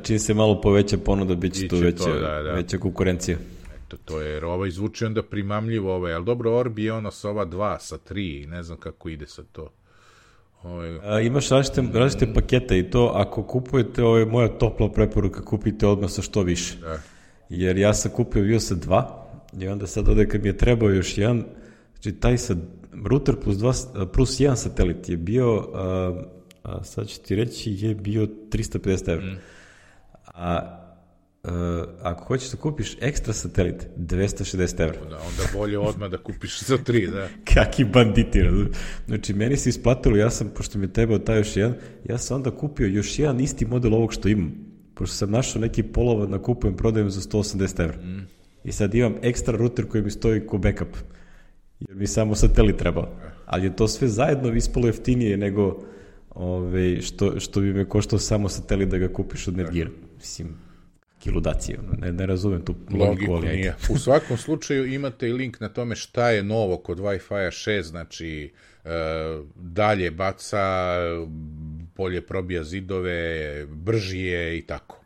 čim se malo poveća ponuda, bit će tu veća konkurencija. To je, jer ovaj zvuči onda primamljivo, ali dobro, Orbi je ono sa ova 2, sa 3 i ne znam kako ide sa to. Imaš različite pakete i to, ako kupujete, ovo je moja topla preporuka, kupite odmah sa što više. Da. Jer ja sam kupio bio sa 2 i onda sad ovdje kad mi je trebao još jedan, znači taj router plus jedan satelit je bio, sad ću ti reći, je bio 350 €. Ako hoćeš da kupiš ekstra satelit, 260 €. Da, onda bolje odmah da kupiš za 3, da. Kaki banditi, razum. Znači, meni se isplatilo, pošto mi je trebao taj još jedan, ja sam onda kupio još jedan isti model ovog što imam. Pošto sam našao neki polovad na kupujem, prodajem za 180 €. I sad imam ekstra router koji mi stoji ko backup. Jer mi samo satelit trebao. Ali je to sve zajedno ispalo jeftinije nego što bi me koštao samo satelit da ga kupiš od Netgeara. Mislim, ludacije, ne razumem tu logiku. Nije. U svakom slučaju imate i link na tome šta je novo kod Wi-Fi 6, znači dalje baca, bolje probija zidove, brži je i tako.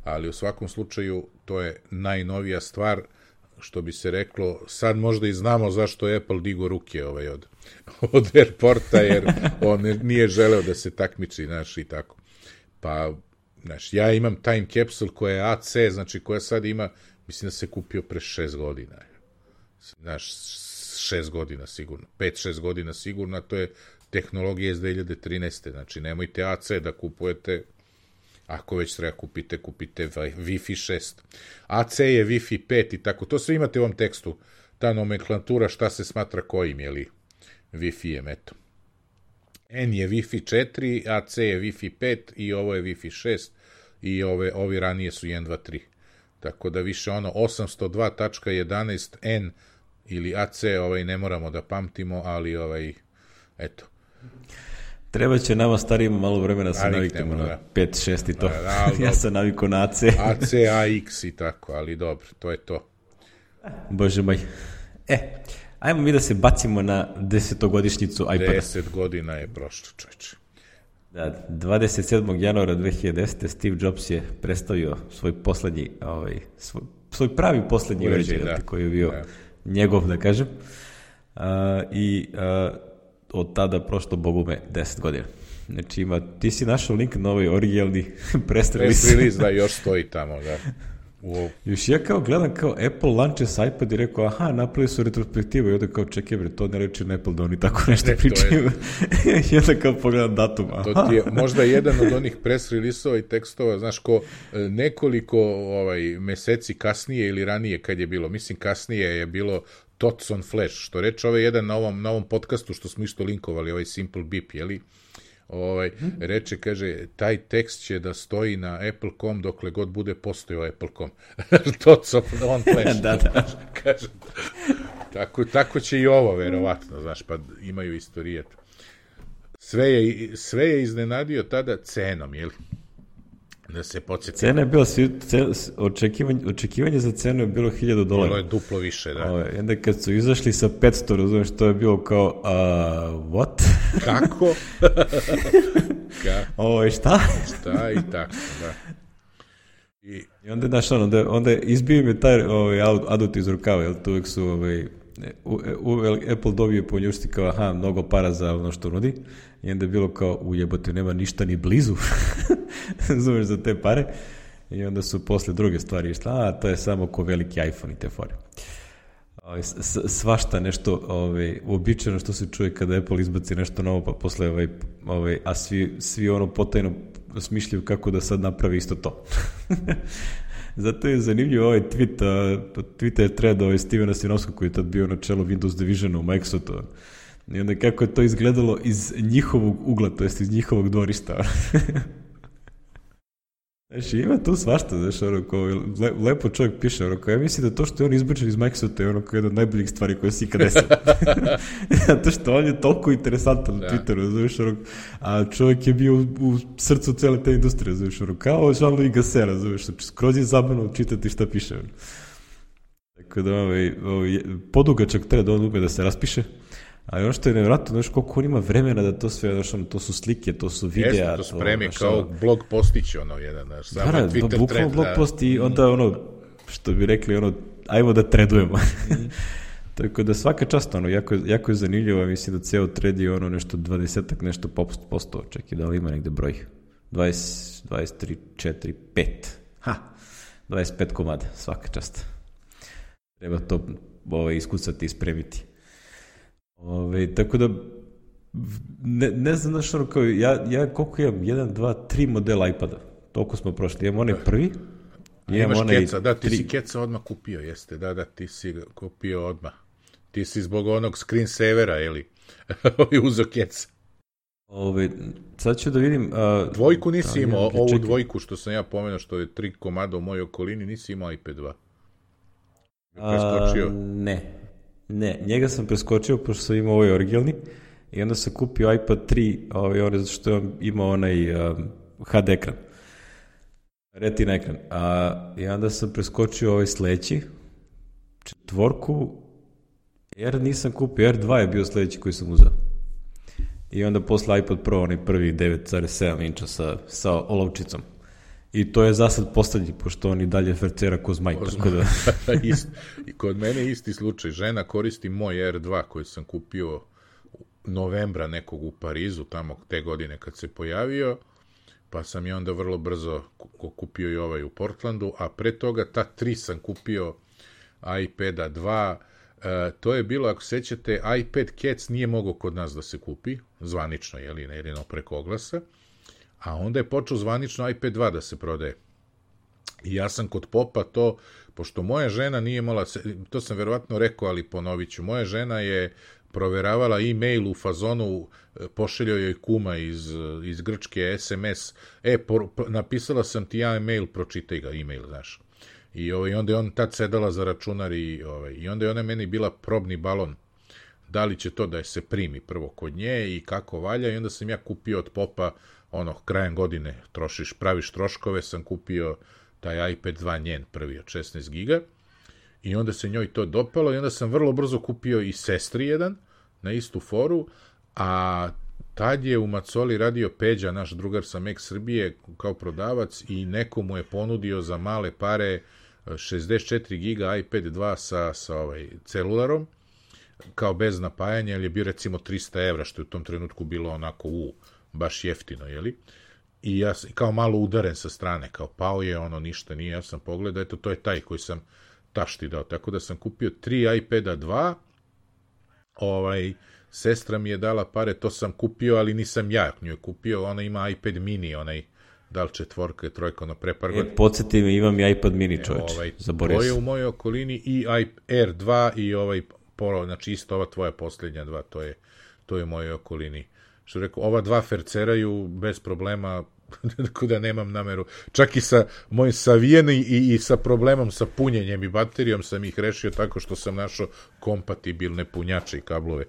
Ali u svakom slučaju to je najnovija stvar, što bi se reklo, sad možda i znamo zašto je Apple digo ruke od AirPorta, jer on nije želeo da se takmiči, i tako. Pa ja imam Time Capsule koja je AC, znači koja sad ima, mislim da se kupio pre 6 godina. 6 godina sigurno, 5-6 godina sigurno, a to je tehnologija iz 2013. Znači nemojte AC da kupujete, ako već treba kupite Wi-Fi 6. AC je Wi-Fi 5 i tako, to sve imate u ovom tekstu, ta nomenklatura šta se smatra kojim, Wi-Fi-em, eto. N je Wi-Fi 4, AC je Wi-Fi 5 i ovo je Wi-Fi 6 i ovi ranije su 1, 2, 3. Tako da više 802.11n ili AC ne moramo da pamtimo, ali eto. Treba će nama starijima malo vremena se naviknemo na 5, 6 i to. Ja sam navikao na AC. AC, AX i tako, ali dobro, to je to. Bože moj. Ajmo mi da se bacimo na 10-godišnjicu iPada. 10 godina je prošlo, čovječe. Da, 27. januara 2010. Steve Jobs je predstavio svoj poslednji, svoj pravi poslednji uređaj, koji je bio njegov, da kažem. Od tada prošlo, bogume, 10 godina. Znači ti si našao link na ovaj originalni press release. Press release, da, još stoji tamo, da. Još ja gledam Apple launches iPad i rekao, napravili su retrospektivu i onda čekaj bre, to ne reči na Apple da oni tako nešto pričaju. I onda pogledam datum. To ti je možda jedan od onih press release-ova i tekstova, znaš, ko nekoliko meseci kasnije ili ranije kad je bilo, mislim kasnije je bilo Thoughts on Flash, što reče jedan na ovom podcastu što smo isto linkovali, Simple Beep, jeli? Reče, kaže, taj tekst će da stoji na Apple.com dokle god bude postojao Apple.com. Thoughts on Flash. Da. Kaže, tako će i ovo, verovatno, znaš, pa imaju istorijet. Sve je iznenadio tada cenom, jeli? Da se podsjetimo. Cena je bila, očekivanje za cenu je bilo $1,000. Bilo je duplo više, da. Onda kad su izašli sa 500, razumiješ, to je bilo kao, what? Kako? Šta? Šta i tako, da. I onda, znaš, onda izbio mi taj adut iz rukava, jer to uvijek su, Apple dobije po njušti kao, mnogo para za ono što nudi, i onda je bilo kao, ujebote, nema ništa ni blizu, zumeš, za te pare, i onda su posle druge stvari išli, to je samo ko veliki iPhone i te fore. Svašta nešto uobičajeno što se čuje kada Apple izbaci nešto novo, pa posle a svi potajno smišljaju kako da sad napravi isto to. Zato je zanimljiv ovaj tweet je thread Stevena Sinovskog koji je tad bio na čelu Windows Divisiona u Microsoftu. I onda kako je to izgledalo iz njihovog ugla, to jest iz njihovog dvorišta. Znači, ima tu svašta, znaš, lepo čovjek piše, ja mislim da to što je on izbačen iz Microsofta je jedna od najboljih stvari koje se ikad desilo. Zato što on je toliko interesantan na Twitteru, znaš, a čovjek je bio u srcu cele te industrije, znaš, kao Jean-Louis Gassera, znaš, skroz je zabavno čitati šta piše. Tako da, podugačak treba da on ume da se raspiše, ali ono što je nevjerojatno, znaš, koliko on ima vremena da to sve, znaš, to su slike, to su videa. Jeste, to spremi kao blog postić, jedan, znaš, samo Twitter bukvalno blog post i onda, što bi rekli, ono, ajmo da tradujemo. Tako da svaka čast, ono, jako je zanimljivo, mislim da ceo trade je ono nešto 20-ak, nešto posto, čekaj, da li ima negde broj? 20, 23, 4, 5. 25 komada, svaka čast. Treba to iskucati i spremiti. Tako da, ne znam znaš ono kao, ja koliko imam, 1, 2, 3 modela iPada, toliko smo prošli, imam onaj prvi, imaš keca, da, ti si keca odmah kupio, jeste, da, ti si kupio odmah. Ti si zbog onog screensavera, ili uzo keca. Sad ću da vidim... Dvojku nisi imao, ovu dvojku što sam ja pomenuo, što je 3 komada u mojoj okolini, nisi imao iPad 2. Preskočio? Ne, njega sam preskočio, pošto sam imao ovaj originalni, i onda sam kupio iPad 3, zato što je imao onaj HD ekran. Retina ekran. I onda sam preskočio ovaj sledeći, 4, R nisam kupio, R2 je bio sledeći koji sam uzao. I onda posle iPad Pro, onaj prvi 9,7 inča sa olovčicom. I to je za sad poslednji, pošto on i dalje fercera ko zmaj. I kod mene isti slučaj. Žena koristi moj R2 koji sam kupio novembra nekog u Parizu, tamo te godine kad se pojavio, pa sam i onda vrlo brzo kupio i ovaj u Portlandu, a pre toga ta 3 sam kupio iPada 2. To je bilo, ako sećate, iPad Cats nije mogao kod nas da se kupi, zvanično, jedino preko oglasa, a onda je počeo zvanično iPad 2 da se prodaje. I ja sam kod popa to, pošto moja žena nije imala, to sam verovatno rekao, ali ponovit ću, moja žena je proveravala e-mail u fazonu, pošeljao joj kuma iz Grčke SMS, napisala sam ti ja e-mail, pročitaj ga, e-mail, znaš. I onda je on tad sedala za računar i onda je ona meni bila probni balon. Da li će to da je se primi prvo kod nje i kako valja, i onda sam ja kupio od popa, krajem godine praviš troškove, sam kupio taj iPad 2 njen prvi od 16 giga i onda se njoj to dopalo i onda sam vrlo brzo kupio i sestri jedan na istu foru, a tad je u Macoli radio Peđa, naš drugar sa Mac Srbije, kao prodavac, i neko mu je ponudio za male pare 64 giga iPad 2 sa celularom, kao bez napajanja, jer je bio recimo 300 evra, što je u tom trenutku bilo onako baš jeftino, jeli? I ja kao malo udaren sa strane, kao pao je, ništa nije, ja sam pogledao, eto, to je taj koji sam tašti dao, tako da sam kupio 3 iPada 2, sestra mi je dala pare, to sam kupio, ali nisam ja nju je kupio, ona ima iPad mini, da li 4, 3, pre par godina. Podsjeti me, imam i iPad mini, čoveč, zaboravio sam. To je u mojoj okolini i R2 i Pro, znači isto ova tvoja posljednja 2, to je u mojoj okolini. Što rekao, ova 2 ferceraju bez problema, tako da nemam nameru. Čak i sa mojim savijeni i sa problemom sa punjenjem i baterijom sam ih rešio tako što sam našao kompatibilne punjače i kablove.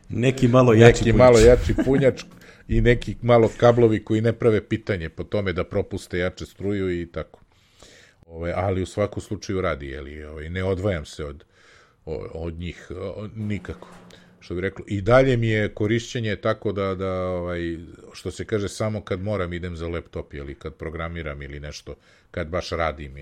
Neki malo jači punjač i neki malo kablovi koji ne prave pitanje po tome da propuste jače struju i tako. Ali u svakom slučaju radi, ne odvajam se od njih nikako. Što bi reklo, i dalje mi je korišćenje tako da što se kaže, samo kad moram idem za laptop, kad programiram ili nešto, kad baš radim,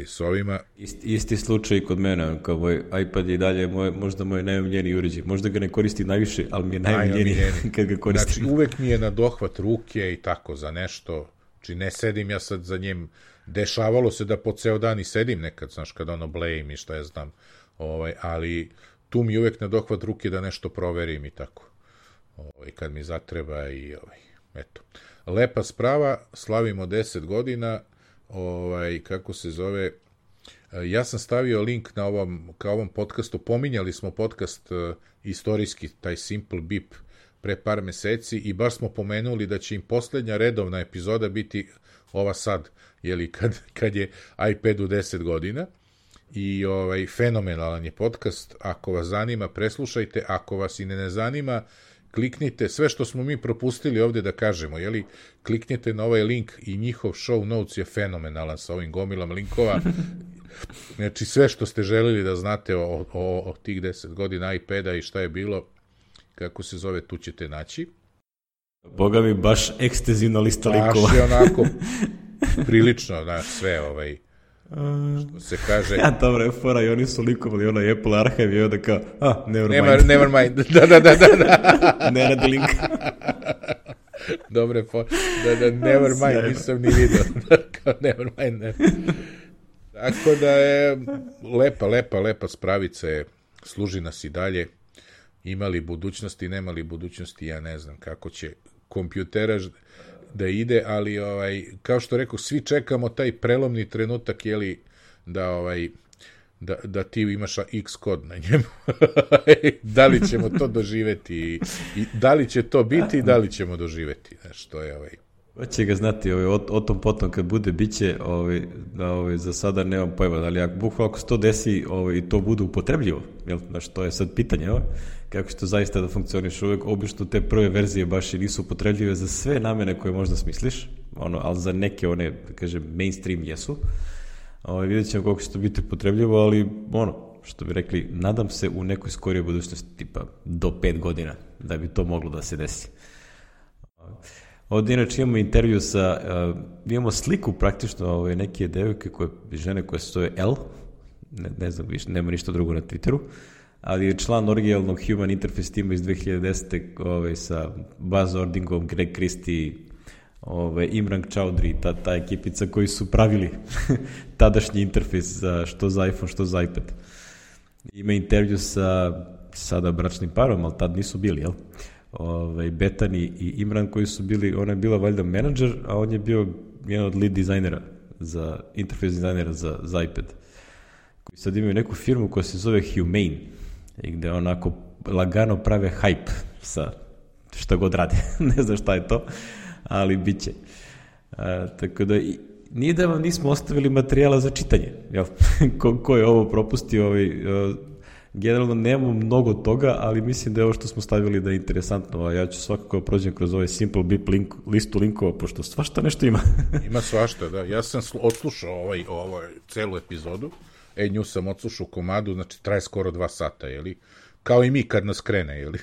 s ovima. Isti slučaj kod mene, kao moj iPad je i dalje možda moj najomiljeniji uređaj. Možda ga ne koristim najviše, ali mi je najomiljeniji kad ga koristim. Znači, uvek mi je na dohvat ruke i tako za nešto. Znači, ne sedim ja sad za njim. Dešavalo se da po ceo dan i sedim nekad, znaš, kad blejim i šta ja znam. Ali tu mi je uvek na dohvat ruke da nešto proverim i tako. Kad mi zatreba i eto. Lepa sprava, slavimo 10 godina, kako se zove, ja sam stavio link na ovom podcastu, pominjali smo podcast istorijski, taj Simple Beep, pre par meseci i baš smo pomenuli da će im poslednja redovna epizoda biti ova sad, kad je iPadu 10 godina. I fenomenalan je podcast, ako vas zanima preslušajte, ako vas i ne zanima kliknite, sve što smo mi propustili ovde da kažemo, kliknite na ovaj link i njihov show notes je fenomenalan sa ovim gomilom linkova, znači sve što ste želeli da znate o tih 10 godina iPada i šta je bilo, kako se zove, tu ćete naći. Boga mi, baš ekstenzivna lista linkova. Baš je onako prilično, znaš, sve, što se kaže... Ja, dobro je fora, i oni su likovali onaj Apple Archive i onda kao, Never mind. Da. Ne radi link. Dobre, never mind, nisam ni vidio. Never mind, ne. Tako da je lepa spravica je, služi nas i dalje. Imali budućnosti, nemali budućnosti, ja ne znam kako će kompjuteraž da ide, ali kao što rekao, svi čekamo taj prelomni trenutak, jeli, da ti imaš X kod na njemu. Da li ćemo to doživeti i da li će to biti i da li ćemo doživeti. Znaš, to je Hoće ga znati, o tom potom kad bude, bit će, za sada nemam pojma, ali bukvalno ako se to desi i to bude upotrebljivo, jel? Znaš, to je sad pitanje, kako će to zaista da funkcioniš uvek, obično te prve verzije baš i nisu upotrebljive za sve namene koje možda smisliš, ali za neke one, kažem, mainstream jesu. Vidjet ćemo koliko će to biti upotrebljivo, ali što bi rekli, nadam se u nekoj skorijoj budućnosti, tipa do 5 godina, da bi to moglo da se desi. Ovdje inače imamo intervju imamo sliku praktično neke devojke, žene koje se zove L, ne znam više, nema ništa drugo na Twitteru, ali je član originalnog Human Interface tima iz 2010. Sa Buzz Ordingom, Greg Christie, Imran Chowdhury, ta ekipica koji su pravili tadašnji interfejs što za iPhone, što za iPad. Ima intervju sa sada bračnim parom, ali tad nisu bili, jel? Betani i Imran koji su bili, ona je bila valjda menadžer, a on je bio jedan od lead dizajnera, interfejs dizajnera za iPad. Koji sad imaju neku firmu koja se zove Humane, i gde onako lagano prave hype sa šta god rade. Ne znam šta je to, ali bit će. Tako da, nije da vam nismo ostavili materijala za čitanje. Jel? Ko je ovo propustio, generalno nemamo mnogo toga, ali mislim da je ovo što smo stavili da je interesantno, a ja ću svakako prođem kroz ovaj Simple Bip listu linkova, pošto svašta nešto ima. Ima svašta, da. Ja sam odslušao celu epizodu, nju sam odslušao u komadu, znači traje skoro 2 sata, jeli? Kao i mi kad nas krene, jeli?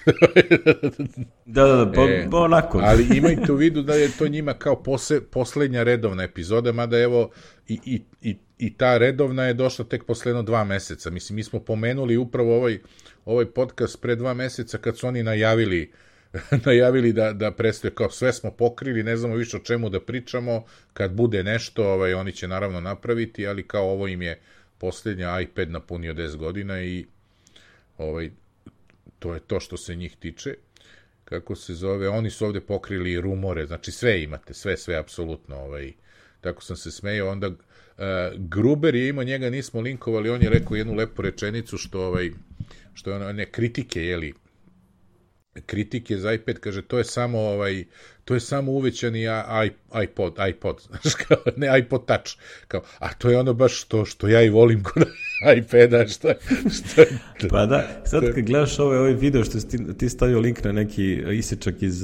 Da, onako. Ali imajte u vidu da je to njima kao poslednja redovna epizoda, mada evo i ta redovna je došla tek posle 2 meseca. Mislim, mi smo pomenuli upravo ovaj podcast pre 2 meseca kad su oni najavili da predstavljaju, kao sve smo pokrili, ne znamo više o čemu da pričamo, kad bude nešto, oni će naravno napraviti, ali kao ovo im je poslednja, iPad napunio 10 godina i to je to što se njih tiče. Kako se zove, oni su ovde pokrili rumore, znači sve imate, sve apsolutno, tako sam se smejao. Onda Gruber je imao, njega nismo linkovali, on je rekao jednu lepu rečenicu što je one kritike, jeli, kritike za iPad, kaže, to je samo uvećani iPod, znaš, kao, ne iPod Touch, kao, a to je ono baš što ja i volim kod iPada, što je... Pa da, sad kad gledaš ovaj video što si ti stavio link na neki isečak iz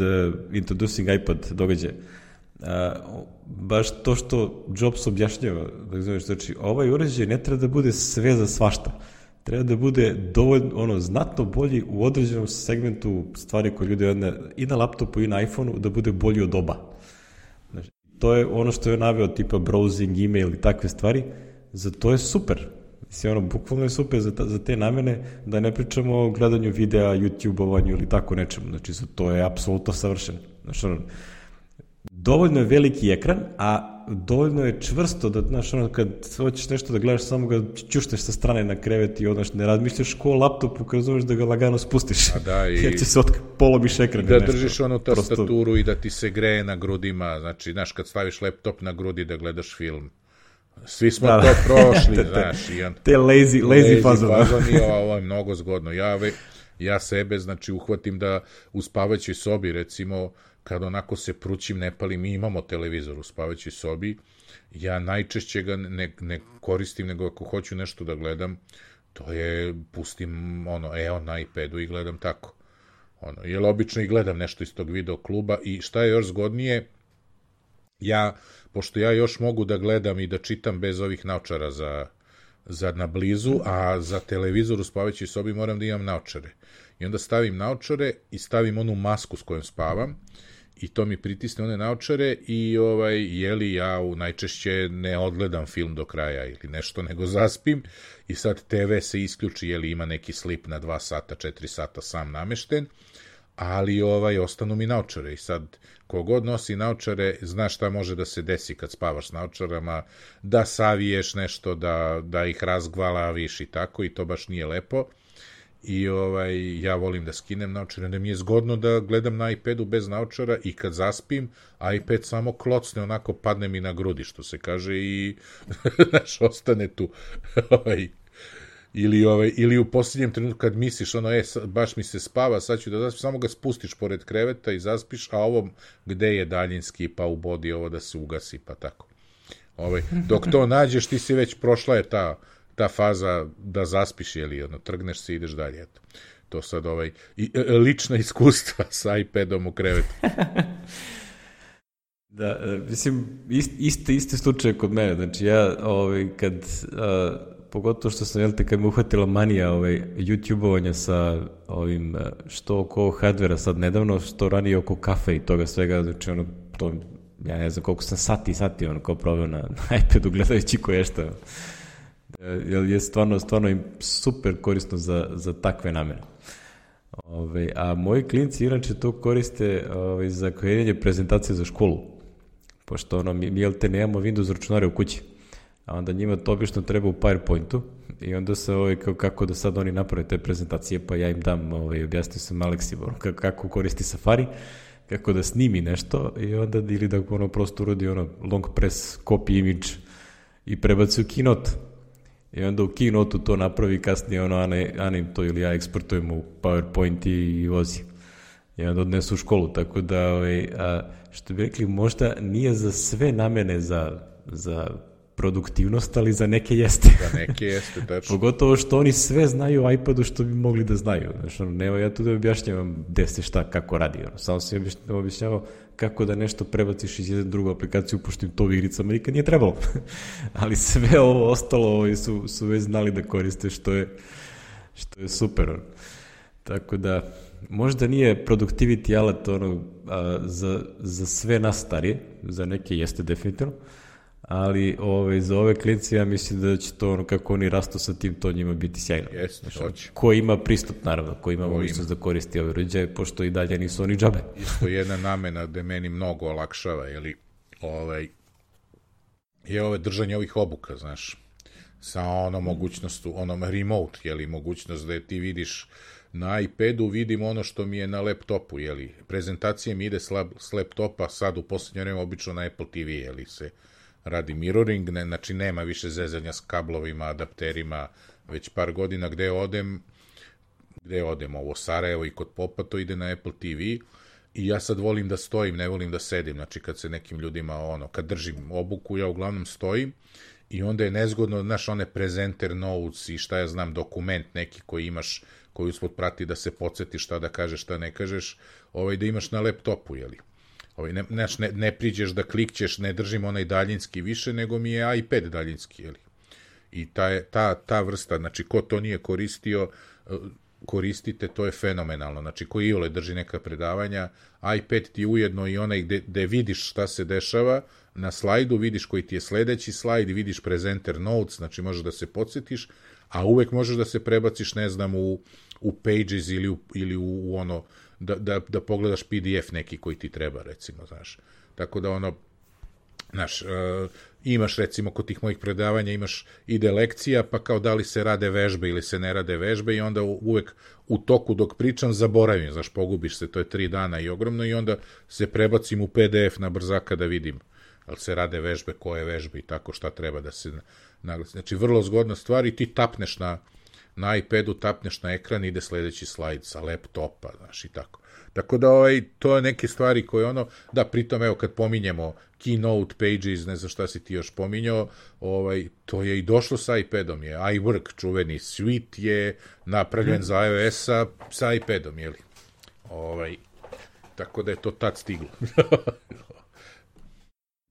Introducing iPad događaja, baš to što Jobs objašnjava, znači, ovaj uređaj ne treba da bude sve za svašta, treba da bude dovoljno, znatno bolji u određenom segmentu stvari koje ljudi i na laptopu i na iPhoneu, da bude bolji od oba. Znači, to je ono što je naveo, tipa browsing, email i takve stvari, za to je super. Mislim, bukvalno je super za te namene, da ne pričamo o gledanju videa, YouTube-ovanju ili tako nečemu. Znači, za to je apsolutno savršeno. Znači, dovoljno je veliki ekran, a dovoljno je čvrsto da, znaš, kad hoćeš nešto da gledaš, samo ga ćušneš sa strane na krevet i ne razmišljaš ko o laptopu, kad razumeš da ga lagano spustiš. Jer će se polomiš ekran. Da držiš onu tastaturu i da ti se greje na grudima, znači, znaš, kad staviš laptop na grudi da gledaš film. Svi smo to prošli, znaš. Te lazy fazoni. Ovo je mnogo zgodno. Ja sebe, znači, uhvatim da u spavaćoj sobi, recimo, kad onako se prućim, ne palim, mi imamo televizor u spavaćoj sobi, ja najčešće ga ne koristim, nego ako hoću nešto da gledam, to je, pustim na iPadu i gledam tako. Jer obično i gledam nešto iz tog video kluba i šta je još zgodnije, pošto ja još mogu da gledam i da čitam bez ovih naočara za na blizu, a za televizor u spavaćoj sobi moram da imam naočare. I onda stavim naočare i stavim onu masku s kojom spavam i to mi pritisne one naočare i jeli ja najčešće ne odgledam film do kraja ili nešto, nego zaspim i sad TV se isključi, jeli ima neki slip na 2 sata, 4 sata sam namešten, ali ostanu mi naočare i sad kogod nosi naočare zna šta može da se desi kad spavaš s naočarama, da saviješ nešto, da ih razgvalaviš i tako, i to baš nije lepo. I ja volim da skinem naočare, da mi je zgodno da gledam na iPadu bez naočara i kad zaspim, iPad samo klocne, onako padne mi na grudi, što se kaže, i znaš, ostane tu. Ili u posljednjem trenutku kad misliš, baš mi se spava, sad ću da zaspim, samo ga spustiš pored kreveta i zaspiš, a ovo gde je daljinski, pa ubodi ovo da se ugasi, pa tako. Dok to nađeš, ti si već prošla je ta faza da zaspiš, trgneš se i ideš dalje, eto. To sad lična iskustva sa iPadom u krevetu. Da, mislim, isti slučaj kod mene, znači ja, kad, pogotovo što sam, kad me uhvatila manija YouTube-ovanja sa ovim, što oko hardvera sad nedavno, što ranije oko kafe i toga svega, znači to, ja ne znam koliko sam sati, kao proveo na iPadu gledajući koješta. Je stvarno im super korisno za takve namene. A moji klinci inače to koriste za kreiranje prezentacije za školu, pošto mi nemamo Windows računare u kući, a onda njima to obično treba u PowerPointu i onda se kako da sad oni naprave te prezentacije, pa ja im dam, objasnio sam Aleksi kako koristi Safari, kako da snimi nešto i onda ili da prosto uradi long press copy image i prebaci u Keynote. I onda u Keynote-u to napravi, kasnije Ana to ili ja eksportujemo u PowerPoint i vozi. I onda odnesu u školu, tako da, što bi rekli, možda nije za sve namene za produktivnost, ali za neke jeste. Za neke jeste, tačno. Pogotovo što oni sve znaju o iPadu što bi mogli da znaju. Znači, nema ja tu da objašnjavam gde se šta, kako radi. Samo sam objašnjavao kako da nešto prebaciš iz jednu drugu aplikaciju, pošto im to u igricama nikad nije trebalo. Ali sve ovo ostalo su već znali da koriste, što je super. Tako da, možda nije productivity alat za sve nas starije, za neke jeste definitivno, ali za ove klinci ja mislim da će to, kako oni rastu sa tim, to njima biti sjajno. Jeste, hoće. Ko ima pristup, naravno, ko ima mogućnost da koristi ove uređaje, pošto i dalje nisu oni džabe. Isto jedna namena da meni mnogo olakšava, je držanje ovih obuka, znaš, sa mogućnostu, remote, mogućnost da ti vidiš na iPadu, vidim ono što mi je na laptopu, prezentacija mi ide s laptopa, sad u poslednje vreme obično na Apple TV, se radi mirroring, znači nema više zezanja s kablovima, adapterima, već par godina gde odem, ovo Sarajevo i kod Popa, to ide na Apple TV i ja sad volim da stojim, ne volim da sedim, znači kad se nekim ljudima, kad držim obuku, ja uglavnom stojim i onda je nezgodno, znaš, one presenter notes i šta ja znam, dokument neki koji imaš, koji uspod prati da se podsjetiš šta da kažeš, šta ne kažeš, da imaš na laptopu, ne priđeš da klikćeš, ne držim onaj daljinski više, nego mi je iPad daljinski, i ta vrsta, znači ko to nije koristio, koristite, to je fenomenalno, znači ko iole drži neka predavanja, iPad ti ujedno i onaj gde vidiš šta se dešava, na slajdu vidiš koji ti je sledeći slajd, vidiš presenter notes, znači možeš da se podsjetiš, a uvek možeš da se prebaciš, ne znam, u Pages ili u ono, da pogledaš PDF neki koji ti treba, recimo, znaš. Tako da znaš, imaš, recimo, kod tih mojih predavanja ide lekcija, pa kao da li se rade vežbe ili se ne rade vežbe i onda uvek u toku dok pričam zaboravim, znaš, pogubiš se, to je 3 dana i ogromno i onda se prebacim u PDF na brzaka da vidim ali se rade vežbe, koje vežbe i tako šta treba da se naglasi. Znači, vrlo zgodna stvar i ti tapneš na iPadu, tapneš na ekran, ide sledeći slajd sa laptopa, znaš, i tako. Tako da, to je neke stvari koje da, pritom, evo, kad pominjemo Keynote, Pages, ne znam šta si ti još pominjao, to je i došlo sa iPadom, je iWork, čuveni suite je napravljen za iOS-a sa iPadom, jeli? Tako da je to tad stiglo.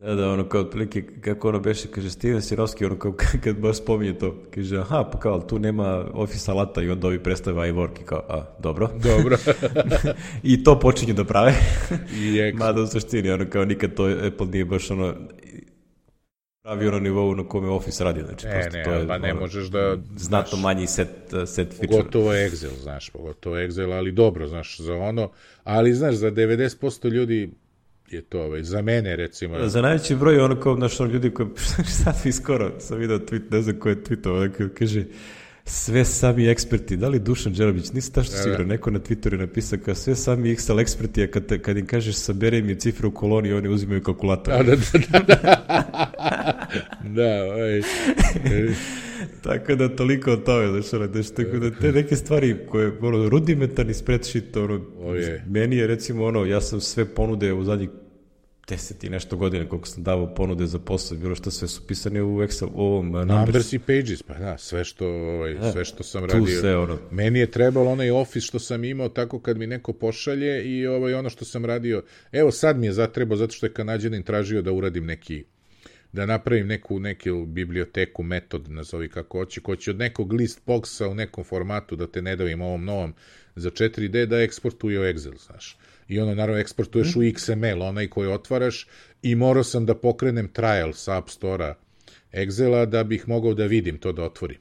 Da, ono kao otprilike, kako ono beše, kaže Steven Sirovski, ono kao kad baš spominje to, kaže, aha, pa kao, tu nema Office alata i onda ovi predstave iWork i kao, dobro. Dobro. I to počinju da prave. I mada u suštini, ono kao nikad to Apple nije baš ono pravi ono nivou na kome Office radi, znači ne, to je pa ne možeš da... znatno manji set feature. Pogotovo Excel, znaš, pogotovo Excel, ali dobro, znaš, za ono, ali znaš, za 90% ljudi je to, za mene, recimo... Za najveći broj ono kao, znaš, ono ljudi koji, sad mi skoro sam video tweet, ne znam ko je tweetao, kaže, sve sami eksperti, da li Dušan Đerobić, nisi tačno siguran, neko na Twitteru je napisao kao sve sami Excel eksperti, a kad im kažeš sabere mi cifre u koloni, oni uzimaju kalkulator. Da. Tako da toliko o tome, znaš, tako da te neke stvari koje, ono, rudimentarni spreadsheet, ono, meni je recimo, ono, ja sam sve ponude u zadnjih 10 i nešto godina, koliko sam davao ponude za posao, bilo što sve su pisane u Excel, u ovom Numbers i Pages, pa da, sve što sam radio. Sve, ono. Meni je trebalo onaj Office što sam imao tako kad mi neko pošalje i ono što sam radio, evo sad mi je zatrebao, zato što je Kanađanin tražio da uradim da napravim neku biblioteku, metod, nazovi kako hoće, ko će od nekog list boxa u nekom formatu, da te ne davim ovom novom za 4D, da eksportuje u Excel, znaš. I ono, naravno, eksportuješ u XML, onaj koji otvaraš, i morao sam da pokrenem trial sa App Store-a Excela da bih mogao da vidim to da otvorim.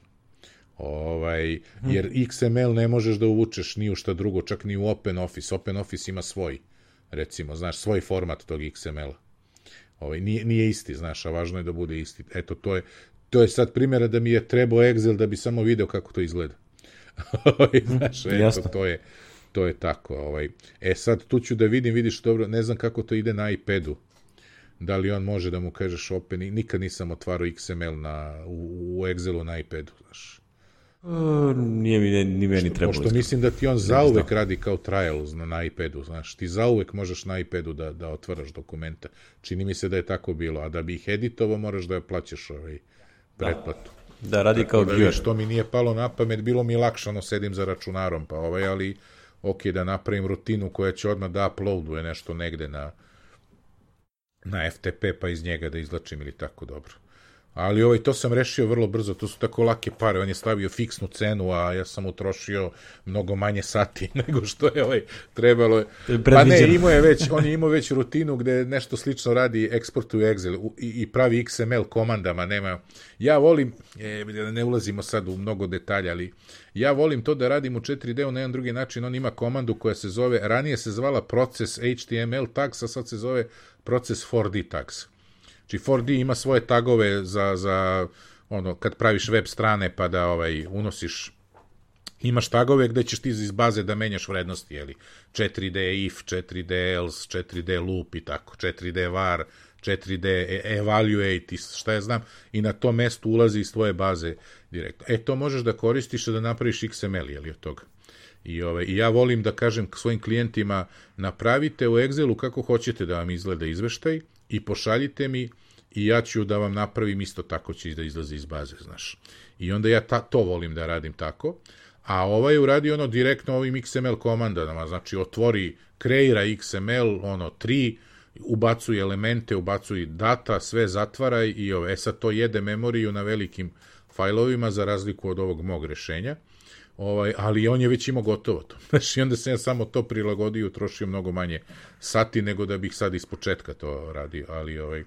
Jer XML ne možeš da uvučeš ni u šta drugo, čak ni u OpenOffice. OpenOffice ima svoj, recimo, znaš, svoj format tog XML-a. Nije isti, znaš, a važno je da bude isti. Eto, to je sad primjera da mi je trebao Excel da bi samo video kako to izgleda. Znaš, eto, to je tako. Sad tu ću da vidiš dobro, ne znam kako to ide na iPadu. Da li on može da mu kažeš open, nikad nisam otvarao XML u Excelu na iPadu, znaš. Nije ni meni trebalo. Pošto mislim da ti on zauvek radi kao trial na iPadu, znaš, ti zauvek možeš na iPadu da otvaraš dokumenta. Čini mi se da je tako bilo, a da bi ih editovao moraš da plaćaš pretplatu. Da, radi kao viewer. Što mi nije palo na pamet, bilo mi lakšano, sedim za računarom, pa ali ok, da napravim rutinu koja će odmah da uploaduje nešto negde na FTP, pa iz njega da izlačim ili tako, dobro. Ali to sam rešio vrlo brzo, to su tako lake pare, on je stavio fiksnu cenu, a ja sam utrošio mnogo manje sati nego što je trebalo. Pa ne, on je imao već rutinu gde nešto slično radi, eksportuje Excel i pravi XML komandama, nema. Ja volim, ne ulazimo sad u mnogo detalja, ali ja volim to da radim u 4D-u na jedan drugi način, on ima komandu koja se zove, ranije se zvala proces HTML tags, a sad se zove proces 4D tags. Znači 4D ima svoje tagove za ono, kad praviš web strane pa da unosiš, imaš tagove gde ćeš ti iz baze da menjaš vrednosti, 4D if, 4D else, 4D loop i tako, 4D var, 4D evaluate i šta ja znam, i na to mesto ulazi iz tvoje baze direktno. To možeš da koristiš da napraviš XML, od toga. I ja volim da kažem svojim klijentima, napravite u Excelu kako hoćete da vam izgleda izveštaj i pošaljite mi i ja ću da vam napravim isto tako će da izlazi iz baze, znaš. I onda ja to volim da radim tako, a ovaj uradio direktno ovim XML komandama, znači kreira XML, 3, ubacuj elemente, ubacuj data, sve zatvaraj i sad to jede memoriju na velikim fajlovima za razliku od ovog mog rešenja. Ali on je već imao gotovo to. Znači, onda sam ja samo to prilagodio, utrošio mnogo manje sati nego da bih sad ispočetka to radio, ali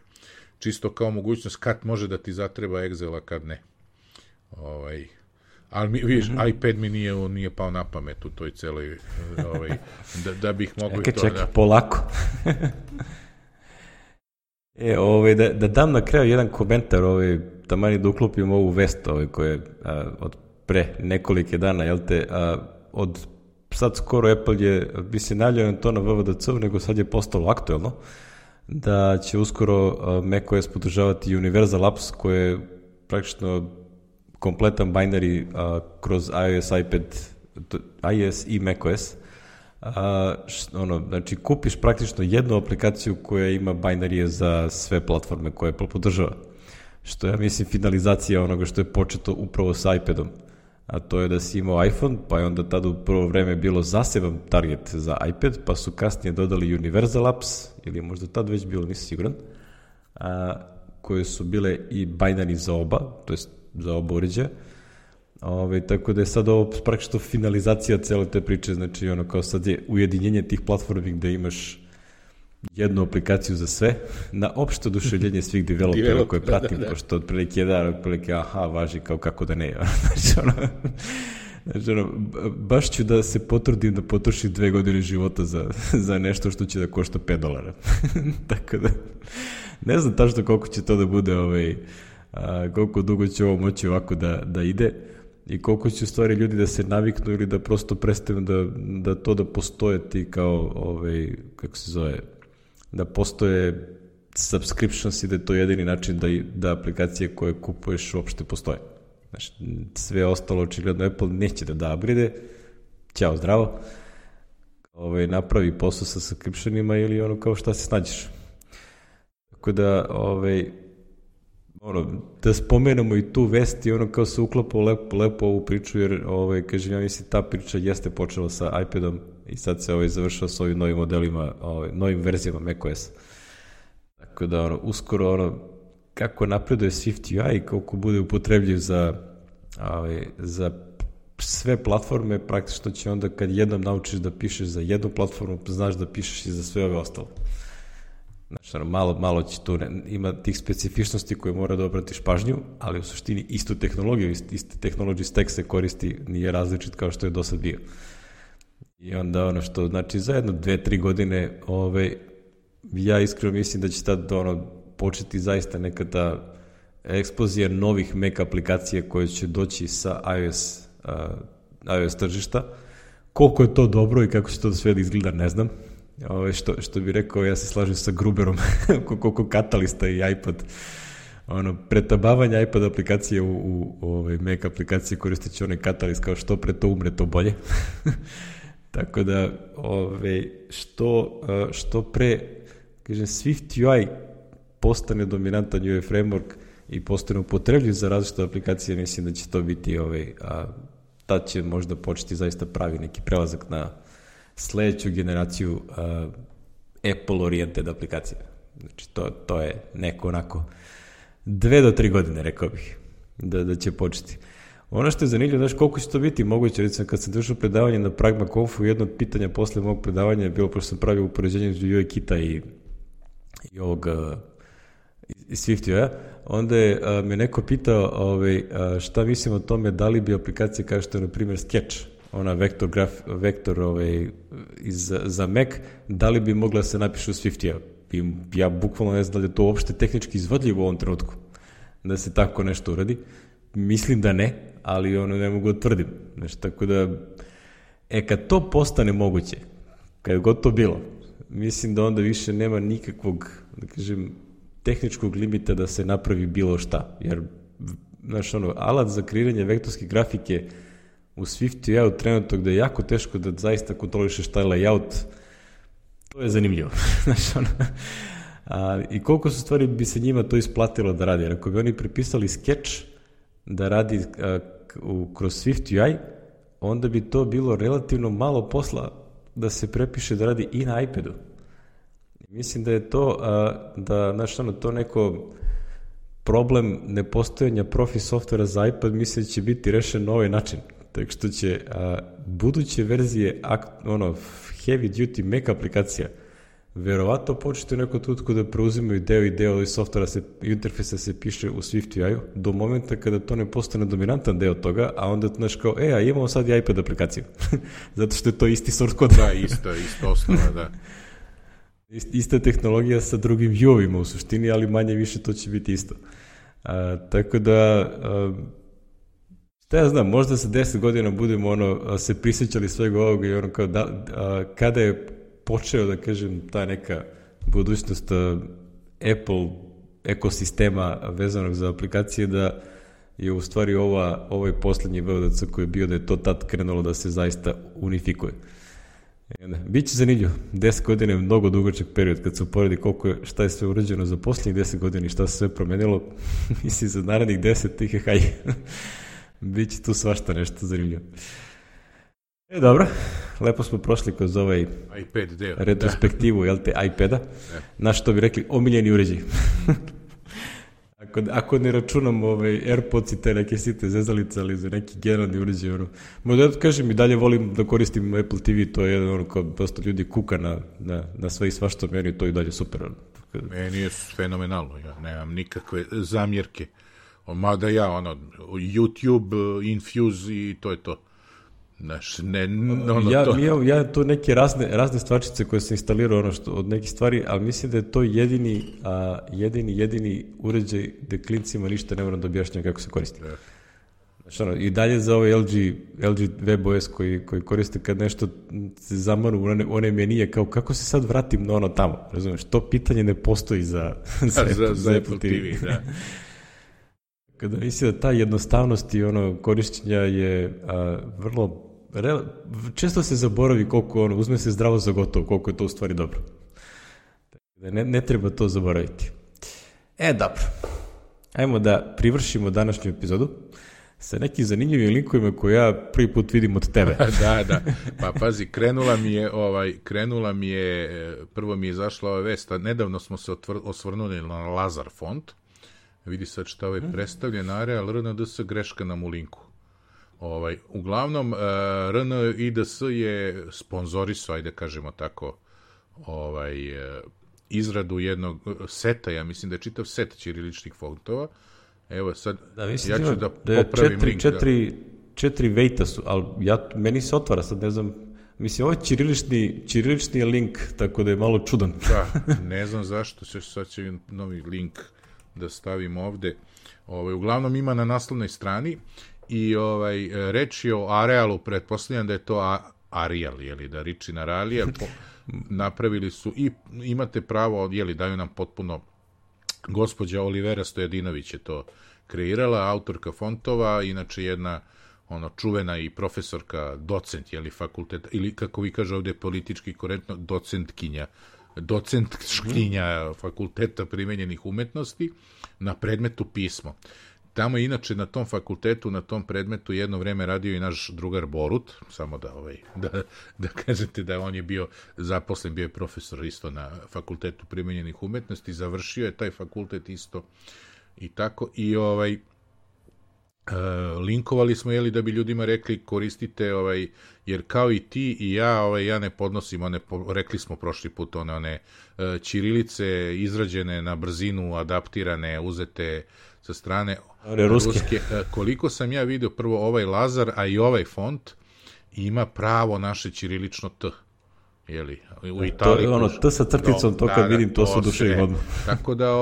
čisto kao mogućnost kad može da ti zatreba Excel, a kad ne. Ali vidiš, iPad mi nije pao na pamet u toj celoj, da bih mogao i to... Čekaj, polako. Da dam na kraju jedan komentar, taman da uklopim ovu vest koja je od pre nekolike dana, od sad skoro Apple je, bi se najavljeno to na WWDC-u, nego sad je postalo aktuelno, da će uskoro macOS podržavati Universal Apps, koje je praktično kompletan binary kroz iOS, iPad, iOS i macOS. Znači, kupiš praktično jednu aplikaciju koja ima binarije za sve platforme koje Apple podržava. Što ja mislim finalizacija onoga što je početo upravo sa iPadom. A to je da si imao iPhone, pa je onda tada u prvo vreme bilo zaseban target za iPad, pa su kasnije dodali Universal Apps, ili možda tad već bilo, nisam siguran, koje su bile i binary za oba, to jest za oba uređaja. Tako da je sad ovo praktično finalizacija cele te priče, znači ono kao sad je ujedinjenje tih platformi gde imaš jednu aplikaciju za sve, na opšte oduševljenje svih developera koje pratim, pošto otprilike važi kao kako da ne. Znači, baš ću da se potrudim da potrošim 2 godine života za nešto što će da košta $5. Tako da, ne znam tačno koliko će to da bude, koliko dugo će ovo moći ovako da ide i koliko će u stvari ljudi da se naviknu ili da prosto prestanu da postoje ti kao, kako se zove, da postoje subscriptions i da je to jedini način da aplikacije koje kupuješ uopšte postoje. Znači, sve ostalo očigledno Apple neće da upgrade, ćao zdravo, napravi posao sa subscriptionima ili ono kao šta se snađeš. Tako da, da spomenemo i tu vest i ono kao se uklapa lepo ovu priču, jer, kažem, ja mislim, ta priča jeste počela sa iPadom i sad se završava s ovim novim modelima, novim verzijama macOS. Tako da, uskoro, kako napreduje SwiftUI i koliko bude upotrebljiv za sve platforme, praktično će onda kad jednom naučiš da pišeš za jednu platformu, znaš da pišeš i za sve ove ostalo. Znači, malo će tu, ima tih specifičnosti koje mora da obratiš pažnju, ali u suštini istu tehnologiju, isti technology stack se koristi, nije različit kao što je do sad bio. I onda ono što, znači, za 2-3 godine, ja iskreno mislim da će tad početi zaista neka ta eksplozija novih Mac aplikacija koje će doći sa iOS tržišta. Koliko je to dobro i kako će to sve da izgleda, ne znam. Što bi rekao, ja se slažem sa Gruberom, koliko Katalista i iPad, pretabavanje iPad aplikacije u Mac aplikacije koristeći onaj Catalyst, kao što pre to umre, to bolje. Tako da, što pre, kažem, SwiftUI postane dominantan UI framework i postane upotrebljiv za različite aplikacije, mislim da će to biti, tad će možda početi zaista pravi neki prelazak na sledeću generaciju Apple-oriented aplikacija. Znači, to je neko onako 2 do 3 godine, rekao bih, da će početi. Ono što je zanimljivo, znaš, koliko će to biti moguće, recimo, kad sam držao predavanje na Pragma Confu, jedno od pitanja posle mog predavanja je bilo, pošto sam pravio upoređenje između UIKit-a i ovog SwiftUI-a, onda je me neko pitao šta mislim o tome, da li bi aplikacija kao što je, na primjer, Sketch, ona vektor za Mac, da li bi mogla se napiše u SwiftUI-a. Ja bukvalno ne znam da li je to uopšte tehnički izvodljivo u ovom trenutku, da se tako nešto uradi. Mislim da ne, ali ne mogu da tvrdim. Znači, tako da, kad to postane moguće, kad god to bilo, mislim da onda više nema nikakvog, da kažem, tehničkog limita da se napravi bilo šta. Jer, znaš, alat za kreiranje vektorske grafike u SwiftUI-u trenutno gde je jako teško da zaista kontrolišeš taj layout, to je zanimljivo. Znaš, i koliko su stvari bi se njima to isplatilo da radi. Jer ako bi oni prepisali Sketch da radi kroz SwiftUI, onda bi to bilo relativno malo posla da se prepiše da radi i na iPadu. Mislim da je to, to neko problem nepostojanja profi softvera za iPad, mislim da će biti rešen na ovaj način. Tako što će buduće verzije heavy duty Mac aplikacija verovatno početi u nekom tutku da preuzimaju deo softvera, interfejsa se piše u SwiftUI-u do momenta kada to ne postane dominantan deo toga, a onda znaš kao, a imamo sad i iPad aplikaciju. Zato što je to isti source code. Da, isto osnova, da. Ista tehnologija sa drugim view-ovima u suštini, ali manje više to će biti isto. Tako da, šta ja znam, možda sa 10 godina budemo se prisjećali svega ovoga i kao kada je počeo, da kažem, ta neka budućnost Apple ekosistema vezanog za aplikacije, da je u stvari ovaj poslednji VDC koji je bio, da je to tad krenulo da se zaista unifikuje. Biće zanimljivo. 10 godina je mnogo dugačak period kad se uporedi šta je sve urađeno za posljednjih 10 godina i šta se sve promenilo. Mislim, za narednih 10 biće tu svašta nešto zanimljivo. Dobro. lepo smo prošli kroz ovaj iPad deo. retrospektivu, jel te, iPada. Naš što bi rekli, omiljeni uređaj. Ako ne računam AirPods i te neke site zezalice, ali za neki generalni uređaj, možda da kažem i dalje volim da koristim Apple TV, to je jedan kao dosta ljudi kuka na sve i svašta, meni to i dalje super. Meni je fenomenalno, ja nemam nikakve zamjerke. Mada ja, YouTube, Infuse i to je to. Znaš, ja to neke razne stvarčice koje sam instalirao od nekih stvari, ali mislim da je to jedini uređaj gde klincima ništa ne moram da objašnjam kako se koristi. Znači, i dalje za ovaj LG WebOS koji koriste kad nešto se zamanu one menije, kao kako se sad vratim na tamo, razumeš, to pitanje ne postoji za Apple TV. Da. Kada mislim da ta jednostavnost i korišćenja je vrlo često se zaboravi koliko uzme se zdravo za gotovo, koliko je to u stvari dobro. Ne treba to zaboraviti. Dobro. Ajmo da privršimo današnju epizodu sa nekim zanimljivim linkovima koje ja prvi put vidim od tebe. Da. Pa pazi, krenula mi je, prvo mi je izašla ova vest, a nedavno smo se osvrnuli na Lazar font. Vidi sad šta predstavljen, Areal RNDS, greška nam u linku. Uglavnom, RNIDS je sponzorisao, ajde kažemo tako, izradu jednog seta, ja mislim da je čitav set ćiriličnih fontova. Evo sad, ja ću da popravim link. Četiri vejta su, ali meni se otvara, sad ne znam, mislim, ovo je ćirilični je link, tako da je malo čudan. Da, ne znam zašto, sad će novi link da stavim ovde. Uglavnom ima na naslovnoj strani i reč je o Arealu, pretpostavljam da je to Arial, da riči na Arial, napravili su i imate pravo, daju nam potpuno, gospođa Olivera Stojadinović je to kreirala, autorka fontova, inače jedna čuvena i profesorka, docent, fakulteta, ili kako vi kaže ovde politički korektno, docentkinja fakulteta primenjenih umetnosti na predmetu pismo. Tamo je inače na tom fakultetu, na tom predmetu jedno vreme radio i naš drugar Borut, samo da kažete da on je bio zaposlen, bio je profesor isto na fakultetu primenjenih umetnosti, završio je taj fakultet isto i tako i linkovali smo, da bi ljudima rekli koristite, jer kao i ti i ja ne podnosim rekli smo prošli put, one ćirilice izrađene na brzinu, adaptirane, uzete sa strane ruske. Koliko sam ja vidio, prvo ovaj Lazar, a i ovaj font ima pravo naše ćirilično T. U Italiji. T sa crticom, to kad vidim, to se oduševim odmah. Tako da,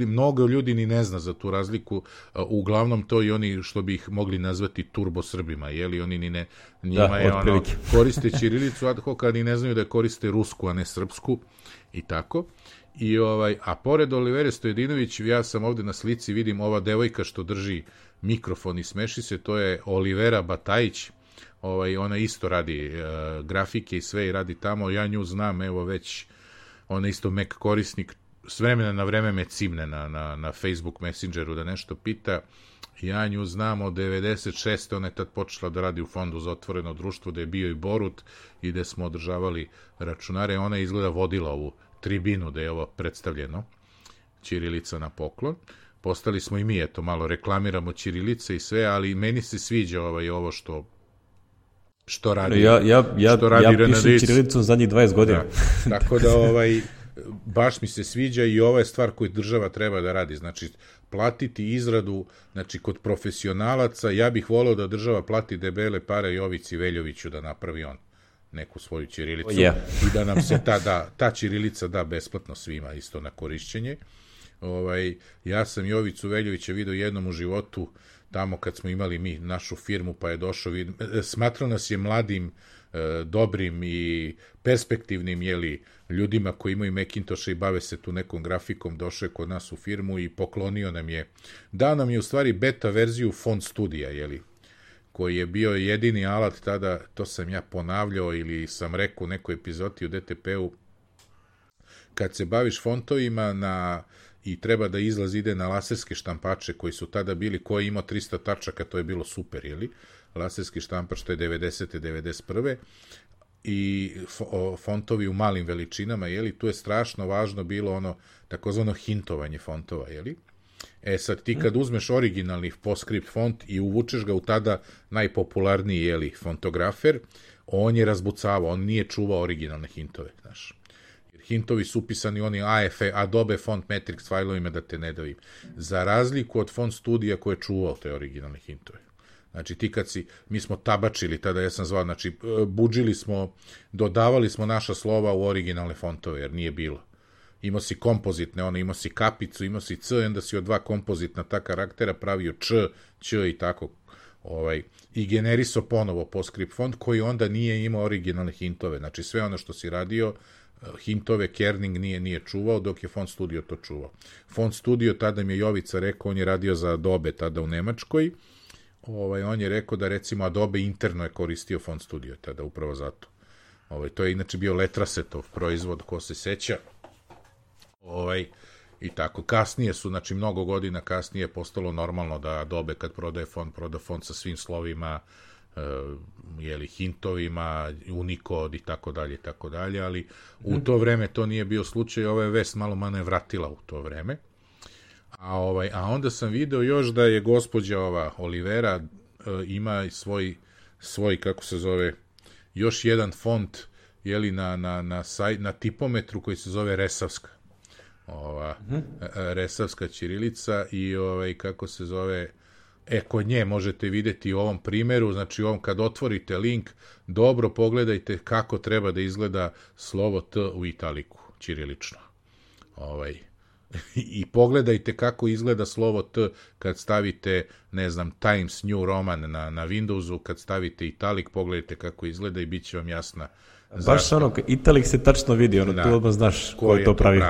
mnogo ljudi ni ne zna za tu razliku, uglavnom to i oni što bi ih mogli nazvati turbo Srbima, oni ni ne, njima je koriste ćirilicu ad hoc, a ni ne znaju da koriste rusku, a ne srpsku, i tako. A pored Olivere Stojadinović, ja sam ovde na slici, vidim ova devojka što drži mikrofon i smeši se, to je Olivera Batajić. Ona isto radi grafike i sve i radi tamo, ja nju znam, evo već, ona isto Mac korisnik, s vremena na vreme me cimne na Facebook Messengeru da nešto pita, ja nju znam od 96. Ona je tad počela da radi u Fondu za otvoreno društvo, da je bio i Borut i gde smo održavali računare, ona je izgleda vodila ovu tribinu da je ovo predstavljeno, ćirilica na poklon. Postali smo i mi, malo reklamiramo ćirilice i sve, ali meni se sviđa ovo što radi. Ja pišem ćirilicom zadnjih 20 godina. Da, tako da baš mi se sviđa i ova je stvar koju država treba da radi. Znači, platiti izradu, znači, kod profesionalaca, ja bih voleo da država plati debele pare Jovici Veljoviću da napravi on neku svoju ćirilicu i da nam se ta ćirilica da besplatno svima isto na korišćenje. Ja sam Jovicu Veljovića vidio jednom u životu tamo kad smo imali mi našu firmu, pa je došao, smatrao nas je mladim, dobrim i perspektivnim ljudima koji imaju Macintosha i bave se tu nekom grafikom, došao je kod nas u firmu i poklonio nam je, dao nam je u stvari beta verziju Font Studija, koji je bio jedini alat tada, to sam ja ponavljao ili sam rekao u nekoj epizodi u DTP-u, kad se baviš fontovima i treba da izlaz ide na laserske štampače koji su tada bili, koji je imao 300 tačaka, to je bilo super, laserski štampač, što je 90. 91. I fontovi u malim veličinama, jeli, tu je strašno važno bilo ono takozvano hintovanje fontova, jeli. Sad ti kad uzmeš originalni PostScript font i uvučeš ga u tada najpopularniji, jeli, fontografer, on je razbucavao, on nije čuvao originalne hintove, znaš. Jer hintovi su upisani oni Adobe Font Matrix fajlovima, da te ne davim. Za razliku od Font Studija koji je čuvao te originalne hintove. Znači ti kad mi smo tabačili tada, ja sam zvao, znači budžili smo, dodavali smo naša slova u originalne fontove, jer nije bilo. Imao si kompozitne, imao si kapicu, imao si C, onda si od dva kompozitna ta karaktera pravio Ć i tako. I generisao ponovo PostScript font koji onda nije imao originalne hintove. Znači sve ono što si radio, hintove Kerning nije čuvao, dok je Font Studio to čuvao. Font Studio, tada mi je Jovica rekao, on je radio za Adobe tada u Nemačkoj, on je rekao da recimo Adobe interno je koristio Font Studio tada, upravo zato. To je inače bio Letrasetov proizvod, ko se seća. I tako, kasnije su, znači mnogo godina kasnije postalo normalno da Adobe kad prodaje font, proda font sa svim slovima, hintovima, Unicode i tako dalje, ali u to vreme to nije bio slučaj, ova je vest malo mane vratila u to vreme. A onda sam video još da je gospođa Olivera ima svoj, kako se zove, još jedan font, na tipometru koji se zove Resavska. Resavska ćirilica i kako se zove, kod nje možete vidjeti u ovom primjeru, znači kad otvorite link, dobro pogledajte kako treba da izgleda slovo T u italiku, ćirilično. I pogledajte kako izgleda slovo T kad stavite, ne znam, Times New Roman na Windowsu, kad stavite italik, pogledajte kako izgleda i bit će vam jasna. Baš italik se tačno vidi, tu odmah znaš ko je to pravi.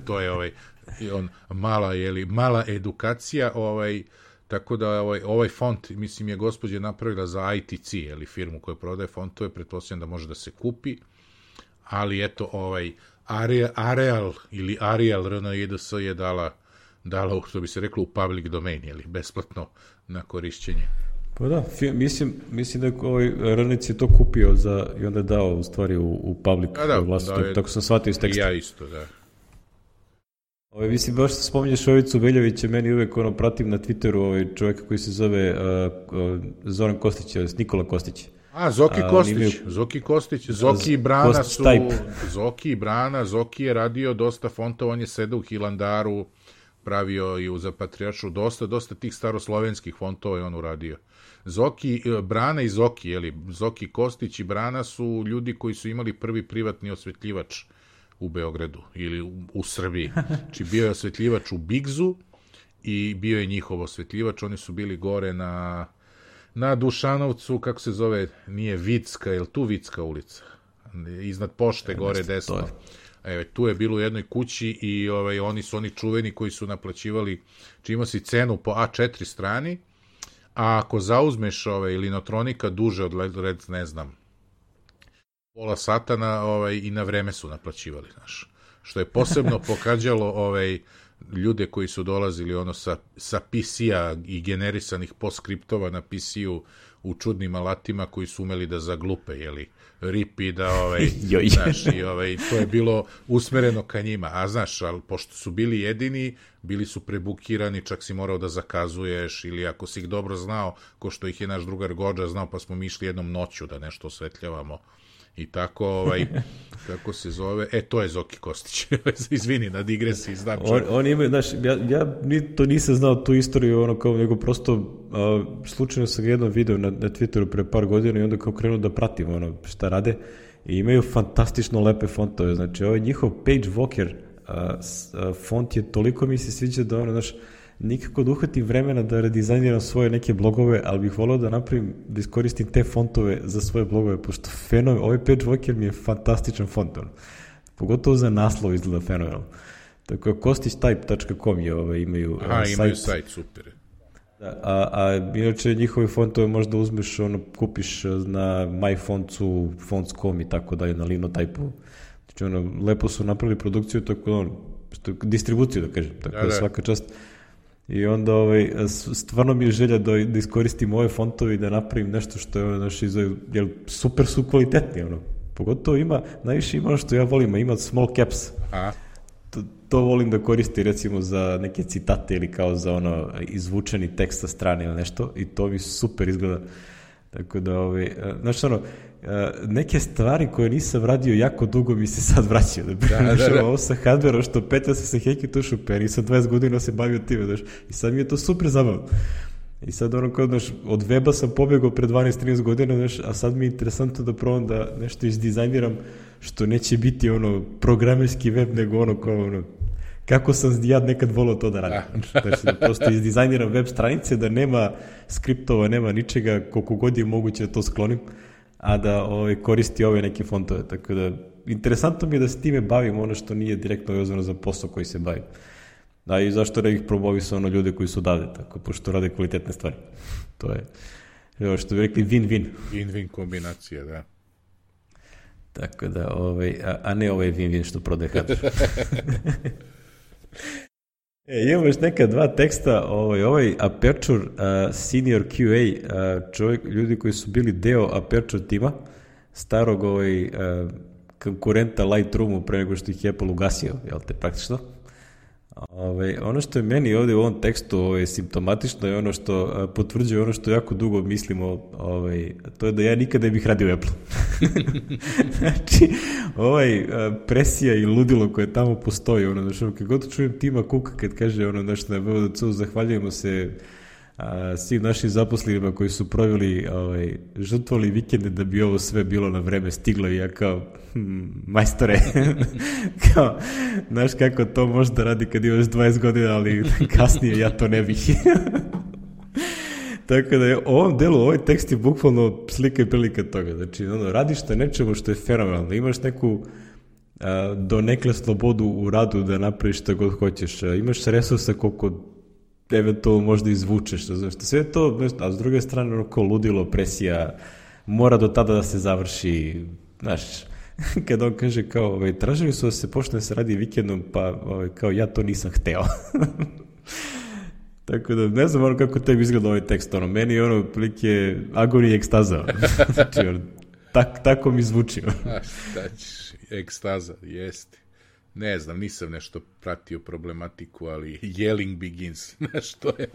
To je mala edukacija, tako da ovaj font, mislim, je gospođa napravila za ITC, firmu koja prodaje fontove, pretpostavljam da može da se kupi, ali eto, Arial ili Arial RNIDS je dala, što bi se reklo, u public domain, besplatno na korišćenje. Pa da, mislim da je Rnic je to kupio i onda je dao u stvari u public vlast, tako sam shvatio iz teksta. Ja isto, da. Mislim, baš spominješ Jovicu Veljovića, meni uvek pratim na Twitteru čovjeka koji se zove Zoran Kostić, Nikola Kostić. Zoki Kostić, Zoki i Brana, Zoki je radio dosta fontova, on je sedao u Hilandaru, pravio i za Patrijaršu, dosta tih staroslovenskih fontova je on uradio. Brana i Zoki, Zoki Kostić i Brana su ljudi koji su imali prvi privatni osvetljivač u Beogradu ili u Srbiji. Znači bio je osvetljivač u Bigzu i bio je njihov osvetljivač, oni su bili gore na Dušanovcu, kako se zove, nije Vicka, je li tu Vicka ulica? Iznad pošte, gore desno. Tu je bilo u jednoj kući i oni su oni čuveni koji su naplaćivali, čima si cenu po A4 strani, a ako zauzmeš linotronika duže od, ne znam, pola sata i na vreme su naplaćivali, znaš. Što je posebno pokađalo ljude koji su dolazili sa PC-a i generisanih postskriptova na PC-u u čudnim alatima koji su umeli da zaglupe, ripi da, znaš, i to je bilo usmereno ka njima, a znaš, ali pošto su bili jedini, bili su prebukirani, čak si morao da zakazuješ, ili ako si ih dobro znao, ko što ih je naš drugar Gođa znao, pa smo mi išli jednom noću da nešto osvetljavamo. I tako, kako se zove, to je Zoki Kostić, izvini na digresiji, znam čovjek. On ima, znaš, ja to nisam znao tu istoriju, nego prosto slučajno sam jednom video na Twitteru pre par godina i onda kao krenuo da pratim šta rade i imaju fantastično lepe fontove, znači njihov Page Walker font je toliko mi se sviđa da znaš, nikako da uhvatim vremena da redizajniram svoje neke blogove, ali bih volao da napravim, da iskoristim te fontove za svoje blogove, pošto ovaj Page Walker mi je fantastičan font, pogotovo za naslov izgleda fenomenalno. Tako je kostićtype.com imaju sajt. Imaju sajt, super. Da, a inače njihove fontove možda uzmeš, kupiš na MyFontsu, Fonts.com i tako dalje, na Linotype-u. Znači, lepo su napravili produkciju, tako distribuciju, da kažem, tako da svaka čast. I onda stvarno mi je želja da iskoristim ove fontove i da napravim nešto što je jer super su kvalitetni, pogotovo najviše ima ono što ja volim, ima small caps. To volim da koristim recimo za neke citate ili kao za izvučeni tekst sa strane ili nešto i to mi super izgleda. Tako da, znaš neke stvari koje nisam radio jako dugo mi se sad vraćaju. Ovo sa hardverom što petlja se sa heki tušu, pa ja nisam 20 godina se bavio time, znaš, i sad mi je to super zabavno. I sad od weba sam pobegao pre 12-13 godina, znaš, a sad mi je interesantno da probam da nešto izdizajniram što neće biti programerski web, nego kako sam ja nekad volao to da radim. Znači da prosto izdizajniram web stranice, da nema skriptova, nema ničega, koliko god je moguće da to sklonim, a da koristi ove neke fontove. Tako da, interesantno mi je da se time bavim ono što nije direktno vezano za posao koji se bavim. Da, i zašto ne bih promovisao ljude koji su odavde, tako, pošto rade kvalitetne stvari. To je, što bi rekli, win-win. Win-win kombinacija, da. Tako da, a ne win-win što prodaje hardware. Imamo još neka dva teksta, Aperture Senior QA, ljudi koji su bili deo Aperture tima, starog konkurenta Lightroomu pre nego što ih je Apple ugasio, jel te, praktično. Ono što je meni ovdje u ovom tekstu simptomatično je ono što potvrđuje ono što jako dugo mislimo, to je da ja nikada ne bih radio u Apple. Znači, presija i ludilo koje tamo postoji, kad god čujem Tima Cooka kad kaže na VVDC-u zahvaljujemo se svim našim zaposlenima koji su proveli žrtvovali vikende da bi ovo sve bilo na vreme stiglo i ja kao majstore kao, znaš kako to možda radi kad imaš 20 godina, ali kasnije ja to ne bih. Tako da je u ovom delu, ovaj tekst je bukvalno slika i prilika toga. Znači, radiš na nečemu što je fenomenalno, imaš neku donekle slobodu u radu da napraviš što god hoćeš, imaš resursa koliko eventualno možda izvučeš, znaš, sve to, a s druge strane ko ludilo, presija, mora do tada da se završi, znaš, kada on kaže kao, tražili su da se počne se radi vikendom, pa kao ja to nisam hteo. Tako da, ne znam kako tebi izgleda ovaj tekst, meni je prilike agonija i ekstaza. Znači, tako mi zvuči. A šta ćeš, ekstaza, jeste. Ne znam, nisam nešto pratio problematiku, ali yelling begins, znaš što je?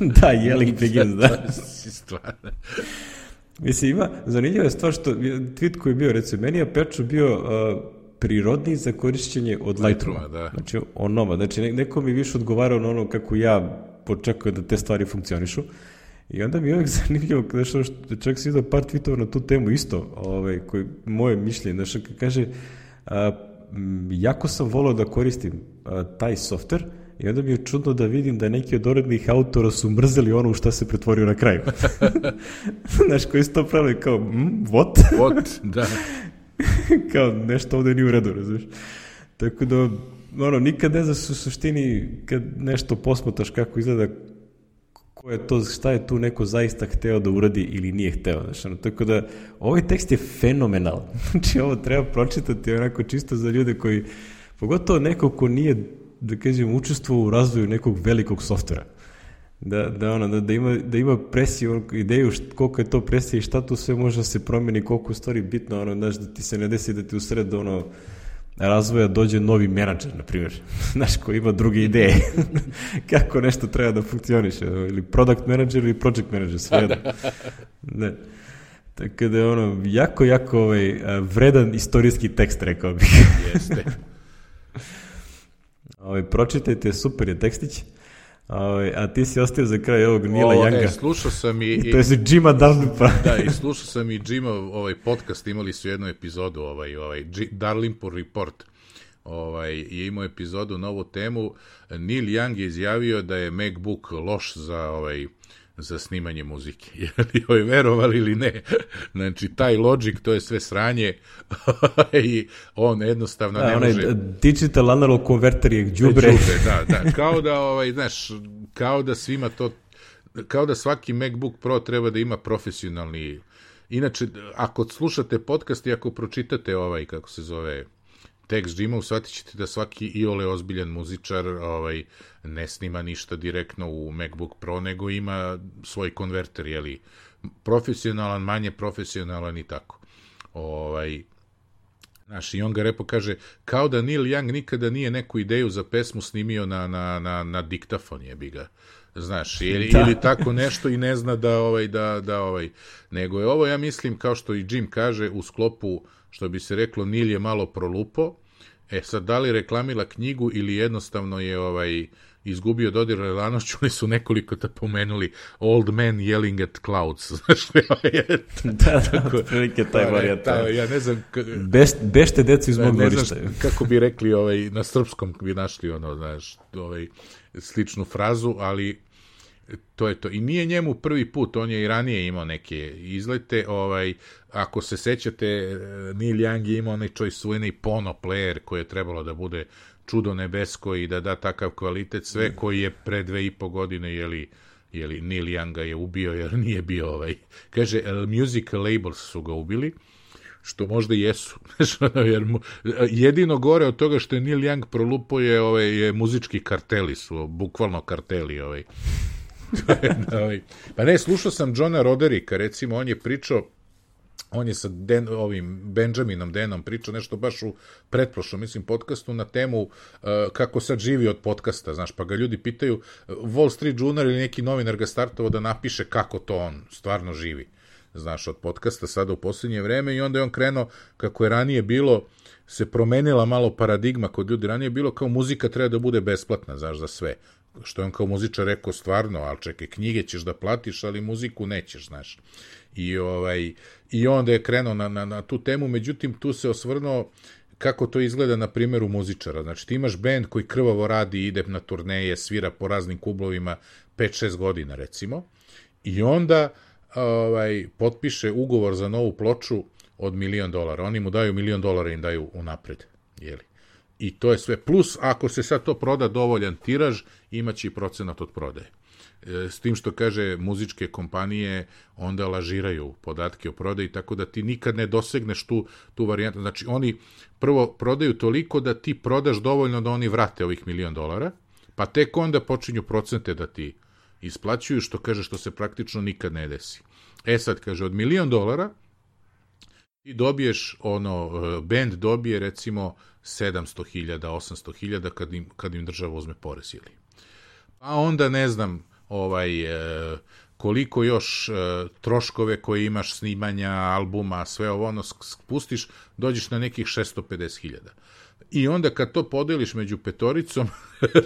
Da, yelling begins, da. Stvarno. Mislim, zanimljiva je stvar što tweet koji je bio, recimo, meni je Aperture bio prirodniji za korišćenje od Lightrooma. Da. Znači, znači, neko mi više odgovarao na ono kako ja počekujem da te stvari funkcionišu. I onda mi je uvijek zanimljivo, što čak si idao par tweetova na tu temu isto, koji moje mišljenje, znači, kaže, jako sam volao da koristim taj software i onda mi je čudno da vidim da neki od urednih autora su mrzeli ono u šta se pretvorio na kraju. Znaš, koji su to pravili kao, what? What, da. Kao, nešto ovdje nije u redu, razumiješ? Tako da, nikad ne znaš u suštini kad nešto posmataš kako izgleda, ko je to, šta je tu neko zaista hteo da uradi ili nije hteo. Znači, tako da, ovaj tekst je fenomenal. Znači, ovo treba pročitati onako čisto za ljude koji, pogotovo neko ko nije, da kažem, učestvovao u razvoju nekog velikog softvera. Da ima presiju, ideju koliko je to presija i šta tu sve može da se promeni, koliko je stvari bitno, znaš, da ti se ne desi da ti u sred razvoja dođe novi menadžer, na primjer, znaš, koji ima druge ideje kako nešto treba da funkcioniše, ili product manager ili project manager, sve jedno. Ne. Tako da je jako vredan istorijski tekst, rekao bih. Jeste. Pročitajte, super je tekstić. A ti si ostavio za kraj ovog Nila Younga. Slušao sam i to je Jima Dunlapa. Da, i slušao sam i Jima podcast, imali su jednu epizodu, Dalrymple Report, je imao epizodu na ovu temu. Neil Young je izjavio da je MacBook loš za snimanje muzike. Jel verovali ili ne? Znači, taj Logic, to je sve sranje i on jednostavno ne može... Digital analog konverter je đubre. Da. Kao da, znaš, kao da svima to... Kao da svaki MacBook Pro treba da ima profesionalni... Inače, ako slušate podcast i ako pročitate kako se zove, tekst džimov, shvatit ćete da svaki iole ozbiljan muzičar ne snima ništa direktno u MacBook Pro, nego ima svoj konverter, jeli, profesionalan, manje profesionalan i tako. Znaš, i on ga repo kaže, kao da Neil Young nikada nije neku ideju za pesmu snimio na diktafon, jebi ga. Znaš, ili tako nešto i ne zna nego je ovo, ja mislim, kao što i Jim kaže, u sklopu, što bi se reklo, Neil je malo prolupo, sad da li reklamila knjigu ili jednostavno je izgubio dodir realnošću, oni su nekoliko pomenuli Old Man Yelling at Clouds, znaš, prilike taj varijata. Ja ne znam... Bešte decu iz mog dvorišta. Ne znam kako bi rekli, na srpskom bi našli, znaš, sličnu frazu, ali to je to. I nije njemu prvi put, on je i ranije imao neke izlete, ako se sećate, Neil Young je imao onaj svojeni Pono player koji je trebalo da bude čudo nebesko i da da takav kvalitet, sve koji je pre 2,5 godine, jeli Neil Young ga je ubio jer nije bio kaže, music labels su ga ubili, što možda i jesu. Jer jedino gore od toga što je Neil Young prolupo je muzički karteli su, bukvalno karteli. Pa ne, slušao sam Johna Rodericka, recimo, on je pričao, on je sa Benjaminom Denom pričao nešto baš u pretprošlom, mislim, podcastu na temu kako sad živi od podcasta, znaš, pa ga ljudi pitaju, Wall Street Journal ili neki novinar ga startovao da napiše kako to on stvarno živi, znaš, od podcasta sada u posljednje vreme, i onda je on krenuo, kako je ranije bilo, se promenila malo paradigma kod ljudi, ranije je bilo kao muzika treba da bude besplatna, znaš, za sve, što je on kao muzičar rekao stvarno, ali čekaj, knjige ćeš da platiš, ali muziku nećeš, znaš. I onda je krenuo na tu temu, međutim, tu se osvrnuo kako to izgleda na primjeru muzičara. Znači, ti imaš bend koji krvavo radi, ide na turneje, svira po raznim klubovima 5-6 godina, recimo, i onda potpiše ugovor za novu ploču od $1 milion. Oni mu daju $1 milion, im daju unapred, jeli. I to je sve. Plus, ako se sad to proda dovoljan tiraž, imaće i procenat od prodaje. S tim što kaže muzičke kompanije onda lažiraju podatke o prodaji, tako da ti nikad ne dosegneš tu varijantu. Znači, oni prvo prodaju toliko da ti prodaš dovoljno da oni vrate ovih $1 milion, pa tek onda počinju procente da ti isplaćuju, što kaže, što se praktično nikad ne desi. Sad, kaže, od $1 milion ti dobiješ, band dobije, recimo, 700.000, 800.000 kad im država uzme porez, ili. Pa onda, ne znam, koliko još troškove koje imaš, snimanja, albuma, sve ovo, spustiš, dođeš na nekih 650.000. I onda kad to podeliš među petoricom,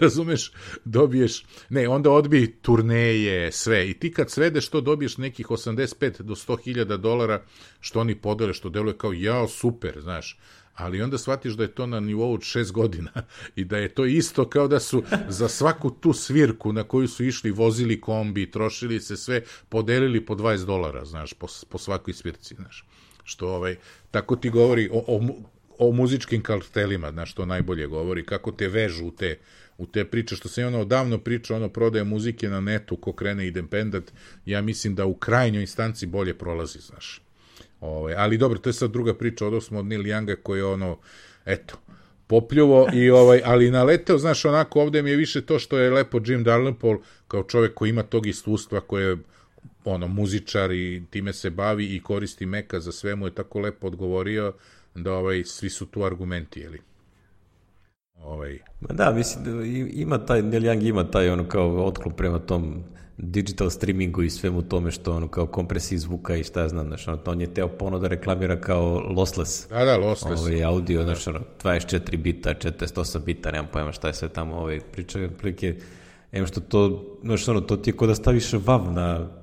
razumeš, dobiješ, onda odbij turneje, sve. I ti kad svedeš to, dobiješ nekih 85 do 100.000 dolara, što oni podele, što deluje kao, jao, super, znaš. Ali onda shvatiš da je to na nivou od 6 godina i da je to isto kao da su za svaku tu svirku na koju su išli, vozili kombi, trošili se sve, podelili po $20, znaš, po svakoj svirci, znaš. Što, tako ti govori o muzičkim kartelima, znaš, to najbolje govori, kako te vežu u te priče, što se odavno priča, prodaje muzike na netu, ko krene independent, ja mislim da u krajnjoj instanci bolje prolazi, znaš. Ali dobro, to je sad druga priča, odnosno od Neil Younga koji je popljuvo ali naleteo, znaš, onako, ovde mi je više to što je lepo Jim Dalrymple, kao čovjek koji ima tog iskustva, koji je muzičar i time se bavi i koristi Maca za sve, mu je tako lepo odgovorio da svi su tu argumenti, jeli? Da, mislim, ima taj, Neil Young ima taj kao otklop prema tom digital streamingu i svemu tome što kao kompresiji zvuka i šta ja znam, znaš, on je teo ponovno da reklamira kao lossless. Da, lossless. Audio, znaš, 24 bita, 48 bita, nemam pojma šta je sve tamo priča, prilike, što to, znaš, to ti je ko da staviš WAV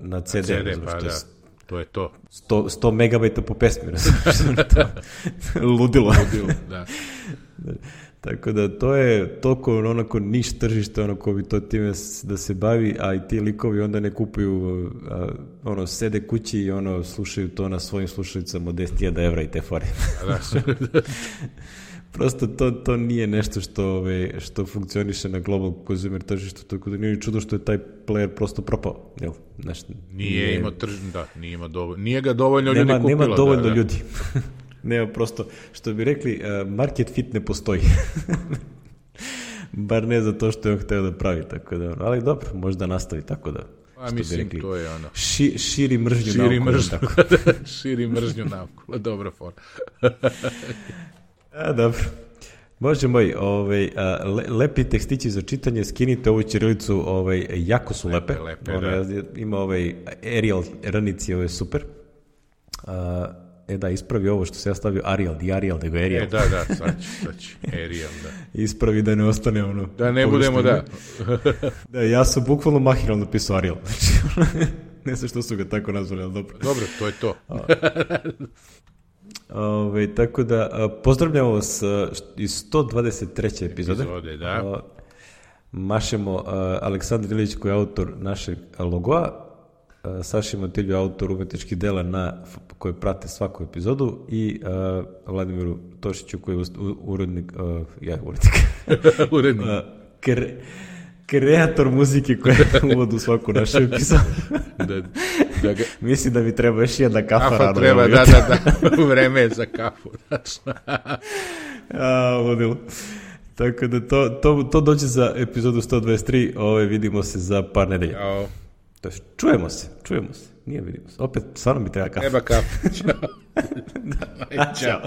na CD. Pa da, to je to. 100 megabajta po pesmi, ludilo. Da. Tako da to je toliko onako niš tržište, ko bi to time da se bavi, a i ti likovi onda ne kupuju, sede kući i slušaju to na svojim slušalicama od 10.000 evra i te fore. Prosto to nije nešto što funkcioniše na global consumer tržištu, tako da nije čudo što je taj player prosto propao. Nije imao tržište, da, nije ga dovoljno ljudi kupilo. Nema dovoljno ljudi. Nema prosto, što bi rekli, market fit ne postoji. Bar ne za to što je on hteo da pravi, tako da, ali dobro, možda nastavi tako da. A mislim, rekli, to je ono. Širi mržnju naokolo. Širi mržnju naokolo, dobra fora. Dobro. Bože moj, lepi tekstići za čitanje, skinite ovu ćirilicu, jako su lepe. Ima Arial ranici, ovo je super. Da, ispravi ovo što se ja stavio Arial, di Arial, nego Arial. Da, sad ću, Arial, da. Ispravi da ne ostane ono... Da ne budemo, da. Da, ja sam bukvalno mahiralno napisao Arial. Ne znam što su ga tako nazvali, ali dobro. Dobro, to je to. Tako da, pozdravljamo vas iz 123. epizode. Da. Mašemo Aleksandar Ilić koji je autor našeg logoa, Saši Matilju autor umetničkih dela koje prate svaku epizodu i Vladimiru Tošiću koji je urednik, kreator muzike koja je uvod u svaku našu epizodu. Mislim da mi treba još jedna kafa rano. Treba, da, vreme je za kafu. Ludilo. Tako da to dođe za epizodu 123, vidimo se za par nedelja. Čujemo se. Nije vidimo se. Opet, stvarno mi treba kafa. Treba kafa. Ćao. Ćao.